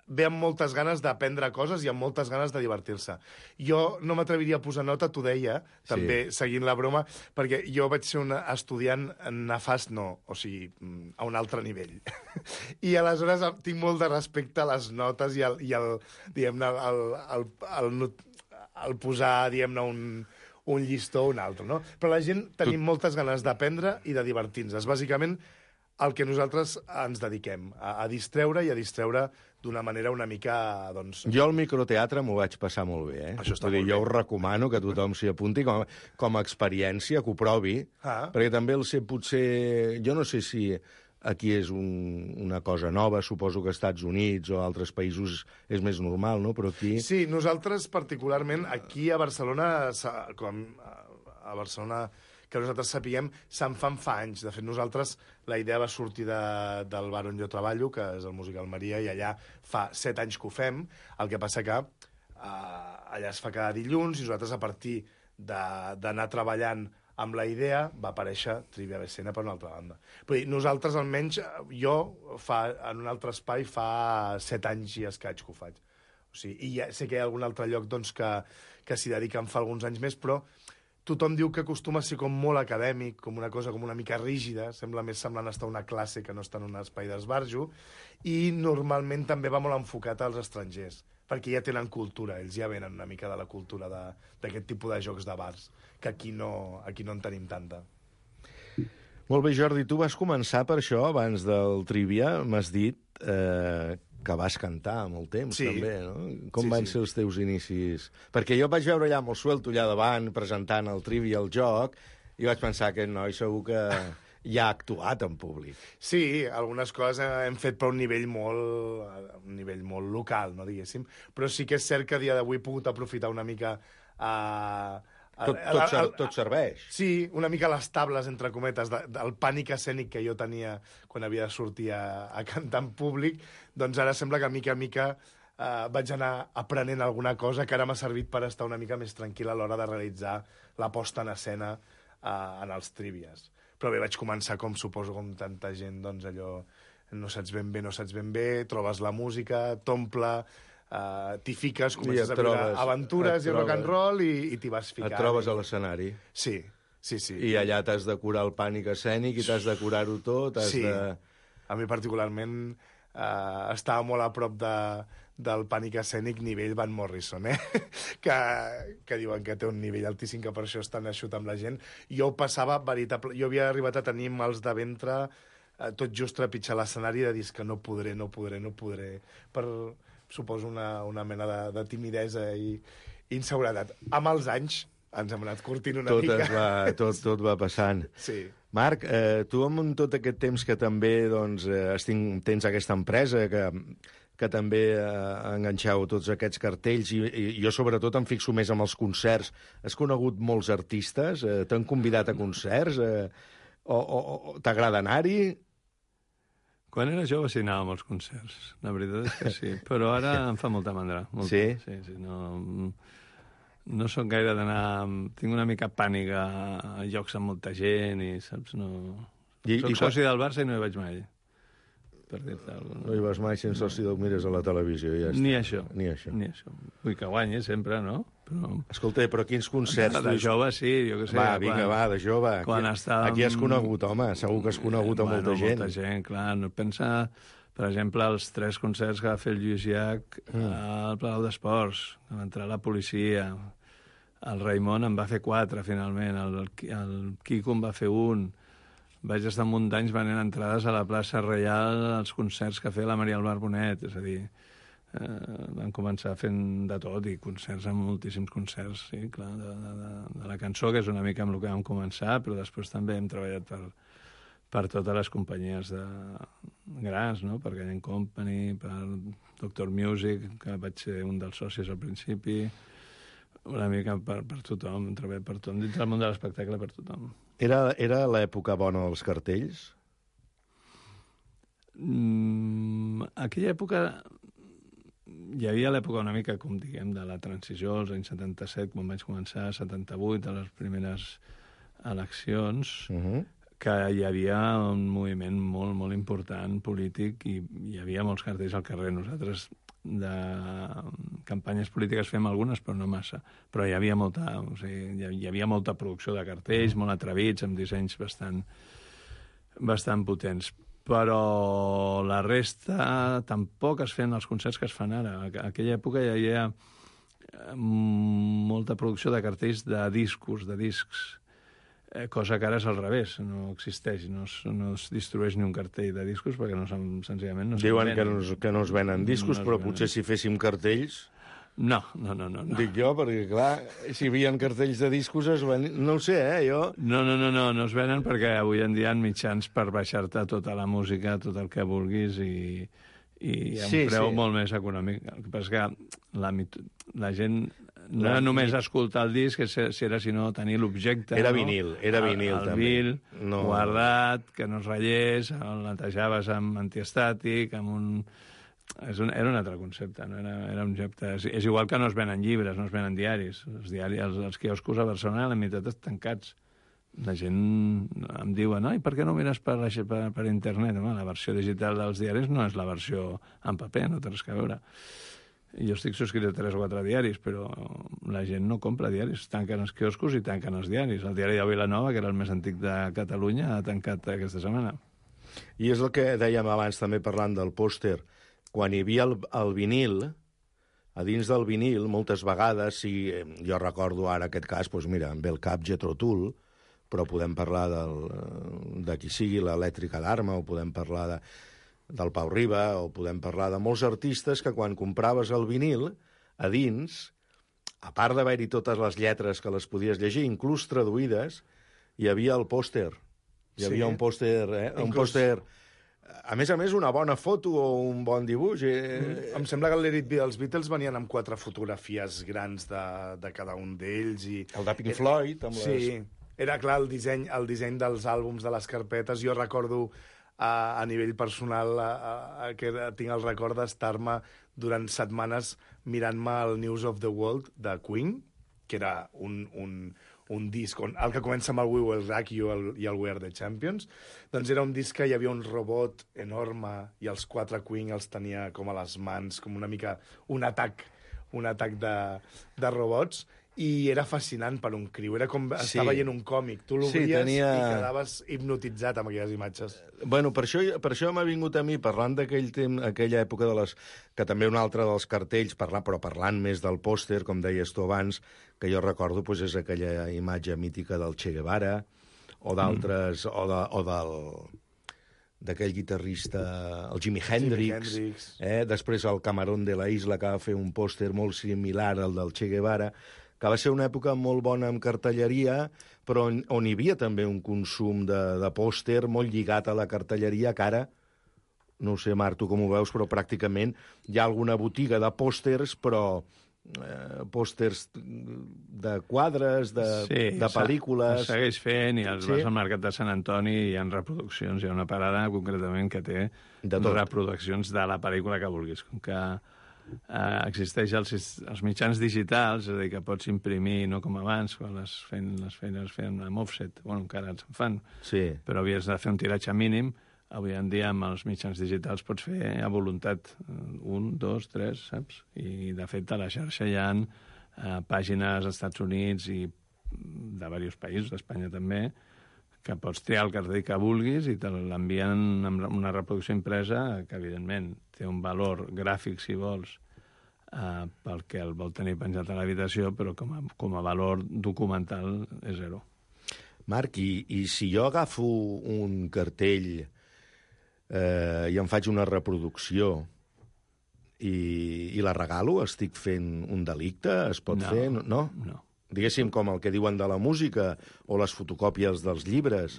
ve amb moltes ganes d'aprendre coses i amb moltes ganes de divertir-se. Jo no m'atreviria a posar nota, t'ho deia, també seguint la broma, perquè jo vaig ser un estudiant nefast, o sigui, a un altre nivell. I aleshores tinc molt de respecte a les notes i diguem-ne, el posar, diguem-ne, un llistó o un altre, no? Però la gent tenim moltes ganes d'aprendre i de divertir-nos. Bàsicament, el que nosaltres ens dediquem, a distreure i a distreure d'una manera una mica, doncs... Jo al microteatre m'ho vaig passar molt bé, Això està molt bé. Jo us recomano que tothom s'hi apunti com a experiència, que ho provi, perquè també el sé, potser... Jo no sé si aquí és una cosa nova, suposo que als Estats Units o a altres països és més normal, no? Però aquí... Sí, nosaltres particularment, aquí a Barcelona, que nosaltres sapiguem, se'n fan fa anys. De fet, nosaltres, la idea va sortir del bar on jo treballo, que és el Musical Maria, i allà fa 7 anys que ho fem. El que passa que allà es fa cada dilluns, i nosaltres, a partir d'anar treballant amb la idea, va aparèixer Trivia BCN per una altra banda. Vull dir, nosaltres, almenys, jo, en un altre espai, fa 7 anys i escaig que ho faig. O sigui, i ja sé que hi ha algun altre lloc doncs, que s'hi dediquen fa alguns anys més, però tothom diu que acostuma a ser com molt acadèmic, com una cosa com una mica rígida, sembla més semblant estar a una classe que no estar en un espai d'esbarjo, i normalment també va molt enfocat als estrangers, perquè ja tenen cultura, ells ja venen una mica de la cultura d'aquest tipus de jocs de bars, que aquí no en tenim tanta. Molt bé, Jordi, tu vas començar per això, abans del Trivia, m'has dit que vas cantar molt temps, també, no? Com van ser els teus inicis? Perquè jo vaig veure allà molt suelto, allà davant, presentant el Trivia, el joc, i vaig pensar que aquest noi segur que ja ha actuat en públic. Sí, algunes coses hem fet per un nivell molt local, no diguéssim, però sí que és cert que a dia d'avui he pogut aprofitar una mica... Tot serveix. Sí, una mica les tables, entre cometes, del pànic escènic que jo tenia quan havia de sortir a cantar en públic, doncs ara sembla que mica a mica vaig anar aprenent alguna cosa que ara m'ha servit per estar una mica més tranquil a l'hora de realitzar la posta en escena en els Trivias. Però bé, vaig començar, com suposo, com tanta gent, doncs allò, no saps ben bé, trobes la música, t'omple... t'hi fiques, comences a viure aventures i rock and roll i t'hi vas ficant. Et trobes a l'escenari. Sí. I allà t'has de curar el pànic escènic i t'has de curar-ho tot. Sí, a mi particularment estava molt a prop del pànic escènic nivell Van Morrison, que diuen que té un nivell altíssim, que per això estan eixut amb la gent. Jo ho passava veritable... Jo havia arribat a tenir mals de ventre tot just trepitjar l'escenari, de dir que no podré. Per... suposo una mena de timidesa i inseguretat. Amb els anys ens hem anat curtint una mica. Tot va passant. Sí. Marc, tu amb tot aquest temps que també doncs, tens aquesta empresa que també enganxeu tots aquests cartells i jo sobretot em fixo més en els concerts. Has conegut molts artistes? T'han convidat a concerts? O t'agrada anar-hi? Quan era jove sí anava a molts concerts, la veritat és que sí, però ara em fa molta mandra. Sí? Sí, no soc gaire d'anar... Tinc una mica pànic a llocs amb molta gent i, saps, no... Soc soci del Barça i no hi vaig mai. per dir-te alguna cosa. No hi vas mai sense si el mires a la televisió, ja està. Ni això. Ni això. Vull que guanyi sempre, no? Però... Escolta, però quins concerts... De jove, sí, jo què sé. Va, vinga, de jove. Aquí has conegut, home, segur que has conegut a molta gent. Molta gent, clar. No pensa, per exemple, els 3 concerts que va fer el Lluís Llach al Palau d'Esports, que va entrar la policia. El Raimon en va fer 4, finalment. El Quico en va fer 1. Vaig estar un munt d'anys venent entrades a la plaça Reial als concerts que feia la Maria Albar Bonet, és a dir, van començar fent de tot i concerts, amb moltíssims concerts, sí, clar, de la cançó, que és una mica amb el que vam començar, però després també hem treballat per totes les companyies grans, no? Per Gallant Company, per Doctor Music, que vaig ser un dels socis al principi, una mica per tothom, hem treballat per tothom, dins del món de l'espectacle per tothom. Era l'època bona dels cartells? Aquella època... Hi havia l'època una mica, com diguem, de la transició, als anys 77, quan vaig començar, 78, a les primeres eleccions, que hi havia un moviment molt, molt important polític i hi havia molts cartells al carrer. Nosaltres de campanyes polítiques fem algunes, però no massa. Però hi havia molta, o sigui, hi havia molta producció de cartells, molt atrevits, amb dissenys bastant potents. Però la resta tampoc es feien els concerts que es fan ara. A aquella època hi havia molta producció de cartells de discos, de discs, cosa que ara és al revés, no existeix, no es distribueix ni un cartell de discos perquè senzillament no es Diuen venen. que no es venen discos, però potser si féssim cartells... No. Dic jo, perquè clar, si hi havia cartells de discos no ho sé, jo... No es venen perquè avui en dia hi ha mitjans per baixar-te tota la música, tot el que vulguis i a un preu molt més econòmic. El que passa és que la gent no era només escoltar el disc, sinó tenir l'objecte. Era vinil també. El vinil, guardat, que no es ratllés, el netejaves amb antiestàtic, amb un... Era un altre concepte, no? Era un objecte... És igual que no es venen llibres, no es venen diaris. Els quioscos a Barcelona, la meitat estan tancats. La gent em diu, no, i per què no mires per internet? Home, la versió digital dels diaris no és la versió en paper, no té res a veure. Jo estic subscrit a 3 o 4 diaris, però la gent no compra diaris. Tanquen els quioscos i tanquen els diaris. El diari de Vilanova, que era el més antic de Catalunya, ha tancat aquesta setmana. I és el que dèiem abans, també parlant del pòster. Quan hi havia el vinil, a dins del vinil, moltes vegades, si jo recordo ara aquest cas, doncs mira, em ve el cap Jethro Tull, però podem parlar de qui sigui, l'Elèctrica d'Arma, o podem parlar del Pau Riba, o podem parlar de molts artistes que quan compraves el vinil, a dins, a part d'haver-hi totes les lletres que les podies llegir, inclús traduïdes, hi havia el pòster. Hi havia un pòster, un pòster... A més, una bona foto o un bon dibuix. Em sembla que els Beatles venien amb 4 fotografies grans de cada un d'ells. El de Pink Floyd. Sí, era clar el disseny dels àlbums, de les carpetes. Jo recordo a nivell personal que tinc el record d'estar-me durant setmanes mirant-me el News of the World de Queen, que era un disc, el que comença amb el We Will Rock You i el We Are the Champions, doncs era un disc que hi havia un robot enorme i els 4 Queen els tenia com a les mans, com una mica un atac de robots, i era fascinant per un criu, era com estar veient un còmic, tu l'obries i quedaves hipnotitzat amb aquelles imatges. Bueno, per això m'ha vingut a mi, parlant aquella època que també un altre dels cartells, però parlant més del pòster, com deies tu abans, que jo recordo és aquella imatge mítica del Che Guevara, o d'altres, o d'aquell guitarrista, el Jimi Hendrix. Després el Camarón de la Isla, que va fer un pòster molt similar al del Che Guevara, que va ser una època molt bona en cartelleria, però on hi havia també un consum de pòster molt lligat a la cartelleria, que ara, no ho sé, Marc, tu com ho veus, però pràcticament hi ha alguna botiga de pòsters, però pòsters de quadres, de pel·lícules... Sí, segueix fent, i vas al Mercat de Sant Antoni i hi ha reproduccions. Hi ha una parada, concretament, que té reproduccions de la pel·lícula que vulguis. Com que existeix els mitjans digitals, és a dir, que pots imprimir, no com abans, quan les feines feien amb offset, bueno, encara se'n fan, però havies de fer un tiratge mínim, avui en dia amb els mitjans digitals pots fer a voluntat 1, 2, 3, saps? I de fet a la xarxa hi ha pàgines als Estats Units i de diversos països, d'Espanya també, que pots triar el cartell que vulguis i te l'envien amb una reproducció impresa que, evidentment, té un valor gràfic, si vols, pel que el vol tenir penjat a l'habitació, però com a valor documental és zero. Marc, i si jo agafo un cartell i en faig una reproducció i la regalo, estic fent un delicte? Es pot fer? No? No. Diguéssim, com el que diuen de la música o les fotocòpies dels llibres,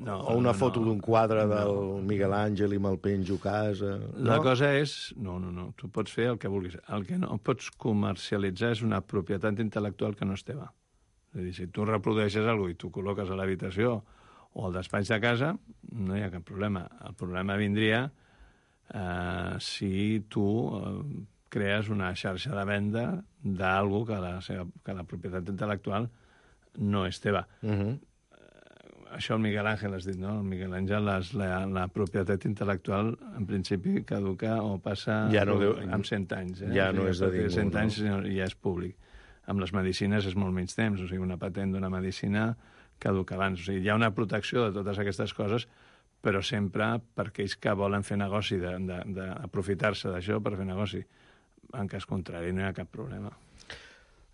o una foto d'un quadre del Miguel Àngel i me'l penjo a casa... La cosa és... No. Tu pots fer el que vulguis. El que no pots comercialitzar és una propietat intel·lectual que no és teva. És a dir, si tu reprodueixes alguna cosa i tu col·loques a l'habitació o al despatx de casa, no hi ha cap problema. El problema vindria si tu crees una xarxa de venda d'algú que la propietat intel·lectual no és teva. Això el Miguel Àngel has dit, no? El Miguel Àngel, la propietat intel·lectual, en principi, caduca o passa amb 100 anys. Ja no és de ningú. 100 anys ja és públic. Amb les medicines és molt menys temps, o sigui, una patent d'una medicina caduca abans. O sigui, hi ha una protecció de totes aquestes coses, però sempre per aquells que volen fer negoci, d'aprofitar-se d'això per fer negoci. En cas contrari, no hi ha cap problema.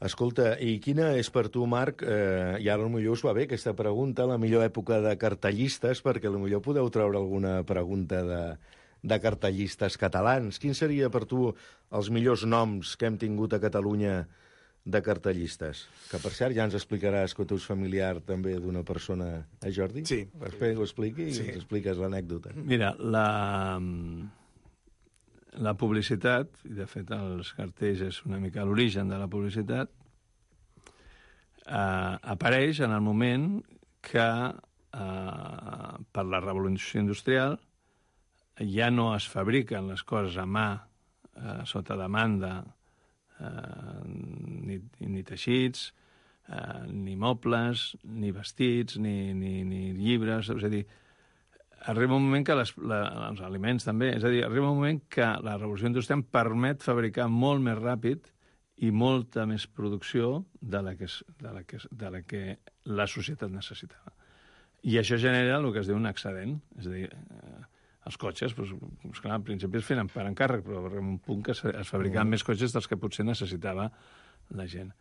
Escolta, i quina és per tu, Marc, i ara potser us va bé aquesta pregunta, la millor època de cartellistes, perquè potser podeu treure alguna pregunta de cartellistes catalans. Quin seria per tu els millors noms que hem tingut a Catalunya de cartellistes? Que, per cert, ja ens explicaràs que tu ets familiar també d'una persona, Jordi? Sí. Després ho expliqui i ens expliques l'anècdota. Mira, la publicitat, i de fet els cartells és una mica l'origen de la publicitat, apareix en el moment que per la revolució industrial ja no es fabriquen les coses a mà sota demanda, ni teixits, ni mobles, ni vestits, ni llibres, és a dir, arriba un moment que els aliments també, és a dir, arriba un moment que la revolució industrial permet fabricar molt més ràpid i molta més producció de la que la societat necessitava. I això genera el que es diu un excedent, és a dir, els cotxes, doncs, clar, al principi es feien per encàrrec, però arriba un punt que es fabricaven més cotxes dels que potser necessitava la gent.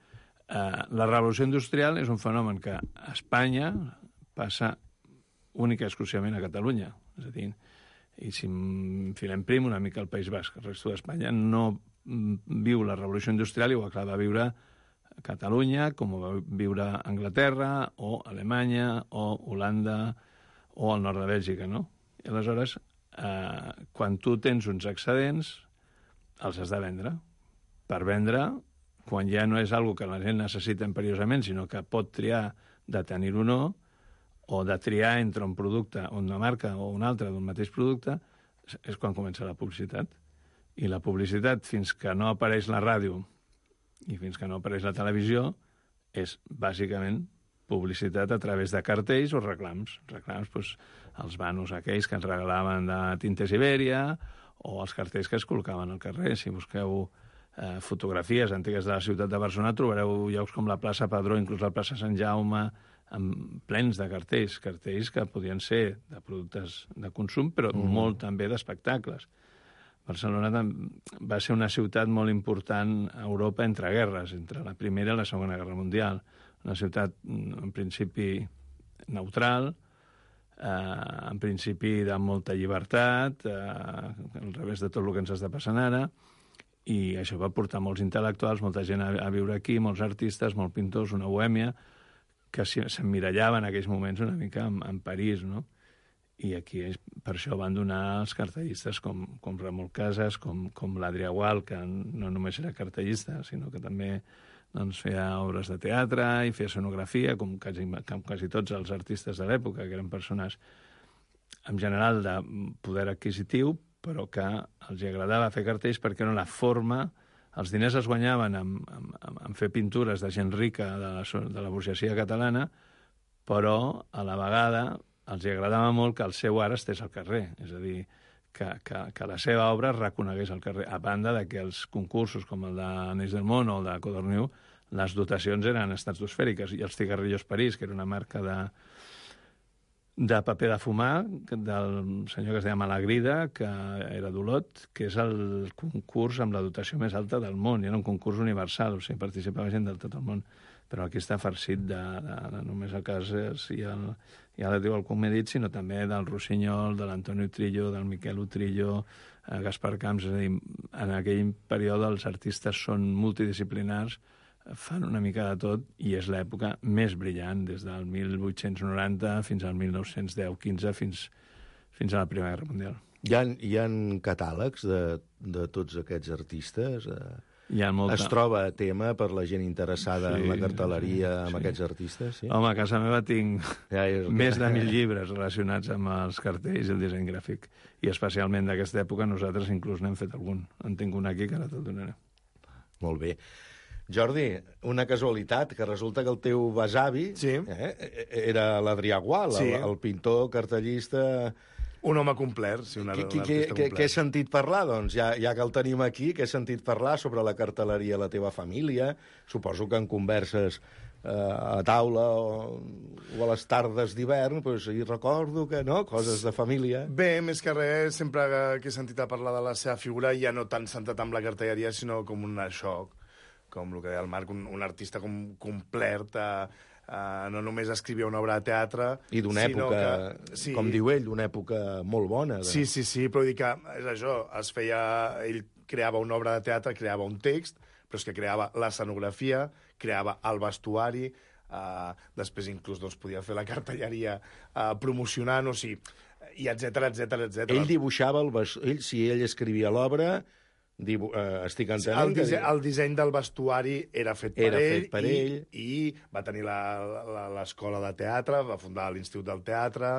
La revolució industrial és un fenomen que a Espanya passa única i exclusivament a Catalunya. És a dir, i si enfilem prim una mica al País Basc, el resto d'Espanya no viu la revolució industrial igual que la va viure Catalunya, com ho va viure Anglaterra, o Alemanya, o Holanda, o el nord de Bèlgica, no? I aleshores, quan tu tens uns excedents, els has de vendre. Per vendre, quan ja no és una cosa que la gent necessita imperiosament, sinó que pot triar de tenir-ho o no, o de triar entre un producte, una marca o una altra d'un mateix producte, és quan comença la publicitat. I la publicitat, fins que no apareix la ràdio i fins que no apareix la televisió, és bàsicament publicitat a través de cartells o reclams. Reclams, doncs, els banos aquells que ens regalaven de Tintes Ibèria o els cartells que es col·locaven al carrer. Si busqueu fotografies antigues de la ciutat de Barcelona, trobareu llocs com la plaça Padró, inclús la plaça Sant Jaume, plens de cartells que podien ser de productes de consum, però molt també d'espectacles. Barcelona va ser una ciutat molt important a Europa entre guerres, entre la Primera i la Segona Guerra Mundial. Una ciutat, en principi, neutral, en principi de molta llibertat, al revés de tot el que ens està passant ara, i això va portar molts intel·lectuals, molta gent a viure aquí, molts artistes, molts pintors, una bohèmia, que s'emmirallaven en aquells moments una mica en París, no? I aquí per això van donar els cartellistes com Ramon Casas, com l'Adrià Gual, que no només era cartellista, sinó que també feia obres de teatre i feia escenografia, com quasi tots els artistes de l'època, que eren persones en general de poder adquisitiu, però que els agradava fer cartells perquè era la forma. Els diners es guanyaven en fer pintures de gent rica de la burgesia catalana, però a la vegada els agradava molt que el seu art estés al carrer, és a dir, que la seva obra es reconegués al carrer, a banda de que els concursos com el d'Anells del Món o el de Codorniu, les dotacions eren estratosfèriques, i els Cigarrillos París, que era una marca de paper de fumar del senyor que es deia Malagrida, que era d'Olot, que és el concurs amb la dotació més alta del món, i era un concurs universal, o sigui, participava gent de tot el món, però aquí està farcit de només el cas ja diu el com he dit, sinó també del Rossinyol, de l'Antonio Trillo, del Miquel Utrillo, Gaspar Camps, és a dir, en aquell període els artistes són multidisciplinars, fan una mica de tot, i és l'època més brillant, des del 1890 fins al 1910-15, fins a la Primera Guerra Mundial. Hi ha catàlegs de tots aquests artistes? Hi ha molta... Es troba a tema per la gent interessada en la cartelleria amb aquests artistes? Sí? Home, a casa meva tinc més de 1.000 llibres relacionats amb els cartells i el disseny gràfic. I especialment d'aquesta època nosaltres inclús n'hem fet algun. En tinc un aquí que ara te'l donaré. Molt bé. Jordi, una casualitat, que resulta que el teu besavi era l'Adrià Gual, el pintor, cartellista... Un home complet, sí, un artista complet. Què he sentit parlar, doncs? Ja que el tenim aquí, què he sentit parlar sobre la cartelleria a la teva família? Suposo que en converses a taula o a les tardes d'hivern, hi recordo que, no?, coses de família. Bé, més que res, sempre que he sentit a parlar de la seva figura, ja no tant centrat amb la cartelleria, sinó com un xoc, com el que deia el Marc, un artista complet, no només escrivia una obra de teatre... I d'una època, com diu ell, d'una època molt bona. Sí, però dic que és això, ell creava una obra de teatre, creava un text, però és que creava l'escenografia, creava el vestuari, després inclús podia fer la cartelleria promocionant, o sigui, i etcètera. Ell dibuixava si ell escrivia l'obra... estic entenent el disseny del vestuari era fet per ell i va tenir l'escola de teatre, va fundar l'Institut del Teatre,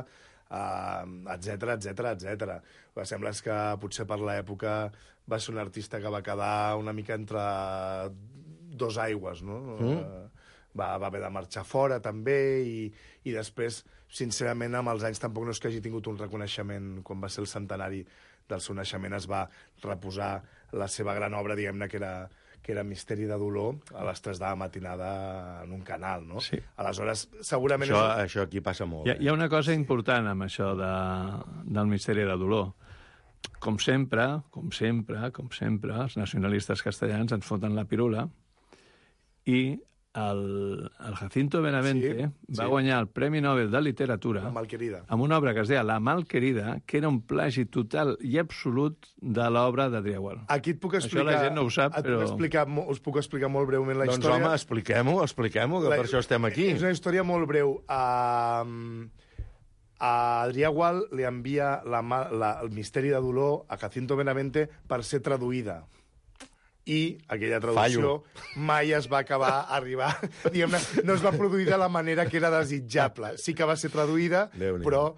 etcètera. Sembla que potser per l'època va ser un artista que va quedar una mica entre dos aigües, no? Va haver de marxar fora també i després, sincerament, amb els anys tampoc no és que hagi tingut un reconeixement. Quan va ser el centenari del seu naixement es va reposar la seva gran obra, diguem-ne, que era Misteri de dolor, a les 3 de la matinada en un canal, no? Sí. Aleshores, segurament... Això aquí passa molt. Hi ha una cosa important amb això del Misteri de dolor. Com sempre, els nacionalistes castellans ens foten la pirula i el Jacinto Benavente va guanyar el Premi Nobel de Literatura amb una obra que es deia La Malquerida, que era un plagi total i absolut de l'obra d'Adrià Gual. Aquí et puc explicar... Això la gent no ho sap, però... Us puc explicar molt breument la història. Doncs home, expliquem-ho, que per això estem aquí. És una història molt breu. A Adrià Gual li envia el Misteri de dolor a Jacinto Benavente per ser traduïda. I aquella traducció mai es va acabar arribar. Diguem-ne, no es va produir de la manera que era desitjable. Sí que va ser traduïda, però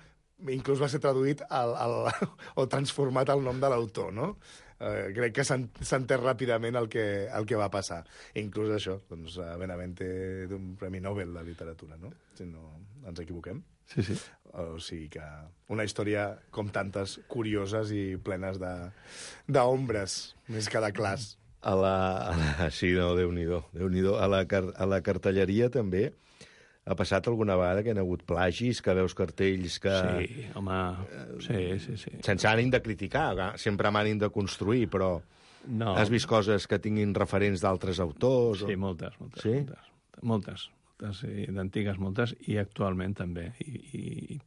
inclús va ser traduït o transformat el nom de l'autor, no? Crec que s'entén ràpidament el que va passar. Inclús això, doncs, Benavente d'un Premi Nobel de Literatura, no? Si no ens equivoquem. Sí. O sigui que una història com tantes curioses i plenes d'ombres, més que de clars. Sí, no, Déu-n'hi-do. A la cartelleria també ha passat alguna vegada que hi ha hagut plagis, que veus cartells que... Sí, home, sí. Sense ànim de criticar, sempre amb ànim de construir, però no. Has vist coses que tinguin referents d'altres autors? Sí, moltes. Sí? Moltes, d'antigues moltes, i actualment també. I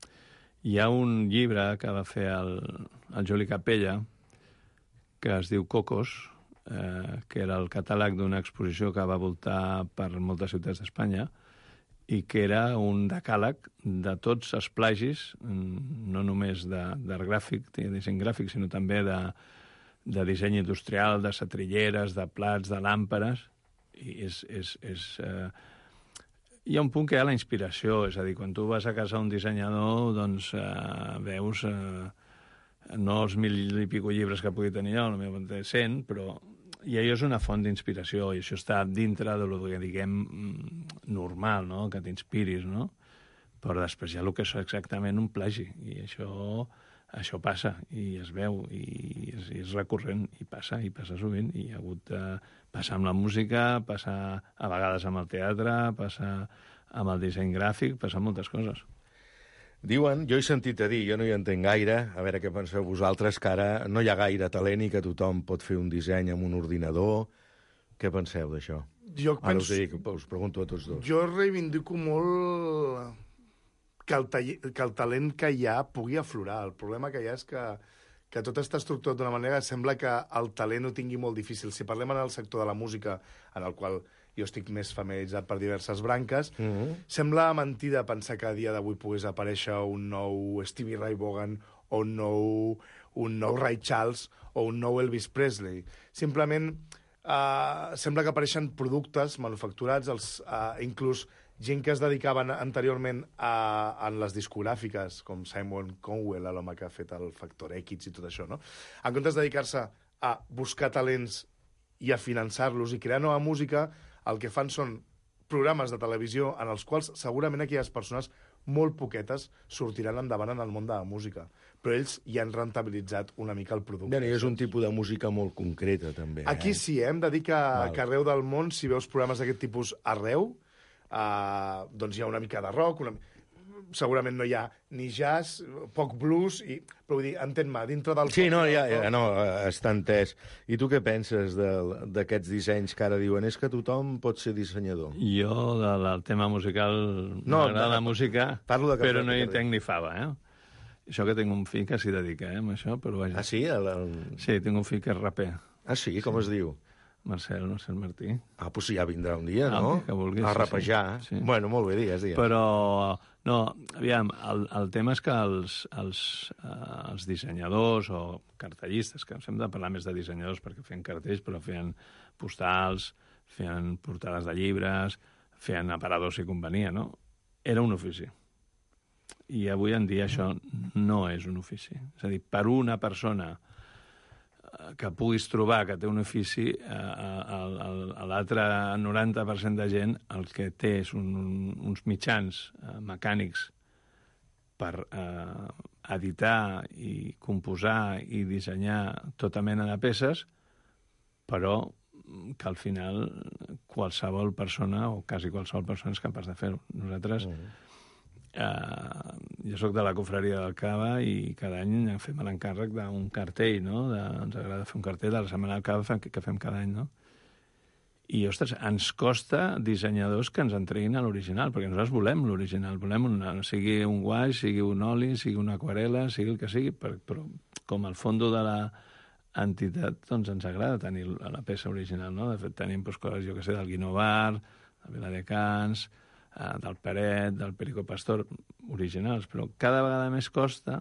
hi ha un llibre que va fer el Juli Capella, que es diu Cocos, que era el catàleg d'una exposició que va voltar per moltes ciutats d'Espanya i que era un decàleg de tots els plagis, no només d'art gràfic, de disseny gràfic, sinó també de disseny industrial, de setrilleres, de plats, de làmperes. I hi ha un punt que hi ha la inspiració, és a dir, quan tu vas a casa d'un dissenyador, doncs veus... no els 1.000 i pico llibres que pugui tenir jo, potser 100, però i allò és una font d'inspiració, i això està dintre de lo que diguem normal, no?, que t'inspiris, no? Però després hi ha el que és exactament un plagi, i això passa, i es veu, i és recurrent, i passa sovint, i ha hagut de passar amb la música, passar a vegades amb el teatre, passar amb el disseny gràfic, passar moltes coses. Diuen, jo he sentit a dir, jo no hi entenc gaire, a veure què penseu vosaltres, que ara no hi ha gaire talent i que tothom pot fer un disseny amb un ordinador. Què penseu d'això? Ara us pregunto a tots dos. Jo reivindico molt que el talent que hi ha pugui aflorar. El problema que hi ha és que tot està estructurat d'una manera que sembla que el talent ho tingui molt difícil. Si parlem en el sector de la música, en el qual jo estic més familiaritzat per diverses branques, sembla mentida pensar que a dia d'avui pogués aparèixer un nou Stevie Ray Vaughan o un nou Ray Charles o un nou Elvis Presley. Simplement sembla que apareixen productes manufacturats, inclús gent que es dedicaven anteriorment en les discogràfiques, com Simon Cowell, l'home que ha fet el Factor X i tot això, no? En comptes de dedicar-se a buscar talents i a finançar-los i crear nova música, el que fan són programes de televisió en els quals segurament aquelles persones molt poquetes sortiran endavant en el món de la música. Però ells ja han rentabilitzat una mica el producte. Bé, és un tipus de música molt concreta, també. Aquí sí, hem de dir que arreu del món, si veus programes d'aquest tipus arreu, doncs hi ha una mica de rock, segurament no hi ha ni jazz, poc blues, però vull dir, entén-me, dintre del... Sí, no, està entès. I tu què penses d'aquests dissenys que ara diuen? És que tothom pot ser dissenyador. Jo, del tema musical, m'agrada la música, però no hi entenc ni fava, Això que tinc un fill que s'hi dedica, amb això, però vaja. Ah, sí? Sí, tinc un fill que és raper. Ah, sí? Com es diu? Marcel Martí. Ah, doncs ja vindrà un dia, no? Que vulguis. A rapejar. Sí. Bueno, molt bé, digues. Però, no, aviam, el tema és que els dissenyadors o cartellistes, que hem de parlar més de dissenyadors perquè feien cartells, però feien postals, feien portades de llibres, feien aparadors si convenia, no? Era un ofici. I avui en dia això no és un ofici. És a dir, per una persona que puguis trobar que té un ofici, l'altre 90% de gent el que té és uns mitjans mecànics per editar i composar i dissenyar tota mena de peces, però que al final qualsevol persona, o quasi qualsevol persona, és capaç de fer-ho. Nosaltres... jo soc de la confraria del Cava i cada any fem l'encàrrec d'un cartell, no? Ens agrada fer un cartell de la Setmana del Cava que fem cada any, no? I, ostres, ens costa dissenyadors que ens entreguin a l'original, perquè nosaltres volem l'original, volem sigui un guaix, sigui un oli, sigui una aquarela, sigui el que sigui, però com al fons de l'entitat, doncs ens agrada tenir la peça original, no? De fet, tenim coses, jo que sé, del Guinovar, de Viladecans, del Peret, del Perico Pastor, originals, però cada vegada més costa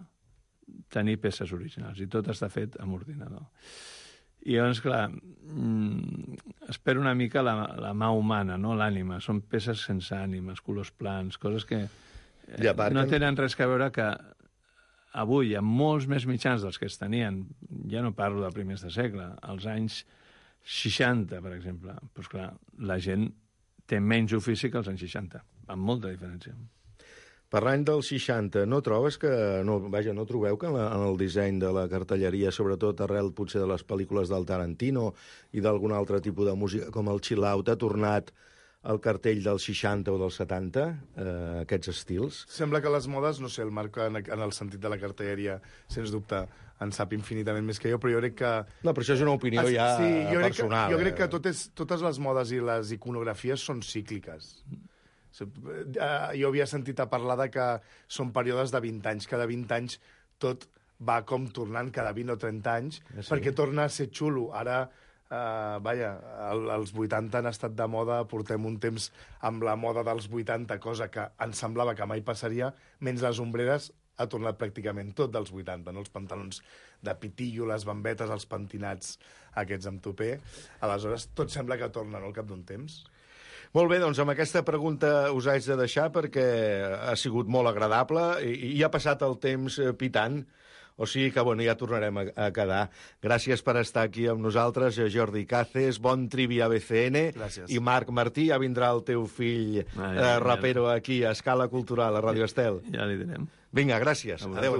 tenir peces originals, i tot està fet amb ordinador. I llavors, clar, espero una mica la mà humana, no? L'ànima. Són peces sense ànimes, colors plans, coses que no tenen res a veure que avui, amb molts més mitjans dels que es tenien, ja no parlo de primers de segle, als anys 60, per exemple, doncs clar, la gent té menys ofici que als anys 60, amb molta diferència. Parlant dels 60, no trobes que... no trobeu que en el disseny de la cartelleria, sobretot arrel potser de les pel·lícules del Tarantino i d'algun altre tipus de música, com el chill-out, ha tornat el cartell dels 60 o dels 70, aquests estils? Sembla que les modes, no sé, el Marc en el sentit de la cartelleria, sens dubte, en sap infinitament més que jo, però jo crec que... No, però això és una opinió personal. Jo crec que totes les modes i les iconografies són cícliques. Jo havia sentit a parlar de que són períodes de 20 anys. Cada 20 anys tot va com tornant cada 20 o 30 anys, perquè torna a ser xulo. Ara, els 80 han estat de moda, portem un temps amb la moda dels 80, cosa que ens semblava que mai passaria, menys les ombreres ha tornat pràcticament tot dels 80, no? Els pantalons de pitillo, les bambetes, els pentinats aquests amb tupé. Aleshores, tot sembla que torna, no?, al cap d'un temps. Molt bé, doncs amb aquesta pregunta us haig de deixar perquè ha sigut molt agradable i ha passat el temps pitant. O sigui que, bueno, ja tornarem a quedar. Gràcies per estar aquí amb nosaltres, Jordi Cáces, bon Trivia BCN. Gràcies. I Marc Martí, ja vindrà el teu fill rapero aquí, a Escala Cultural, a Radio Estel. Ja li direm. Vinga, gràcies. Adéu.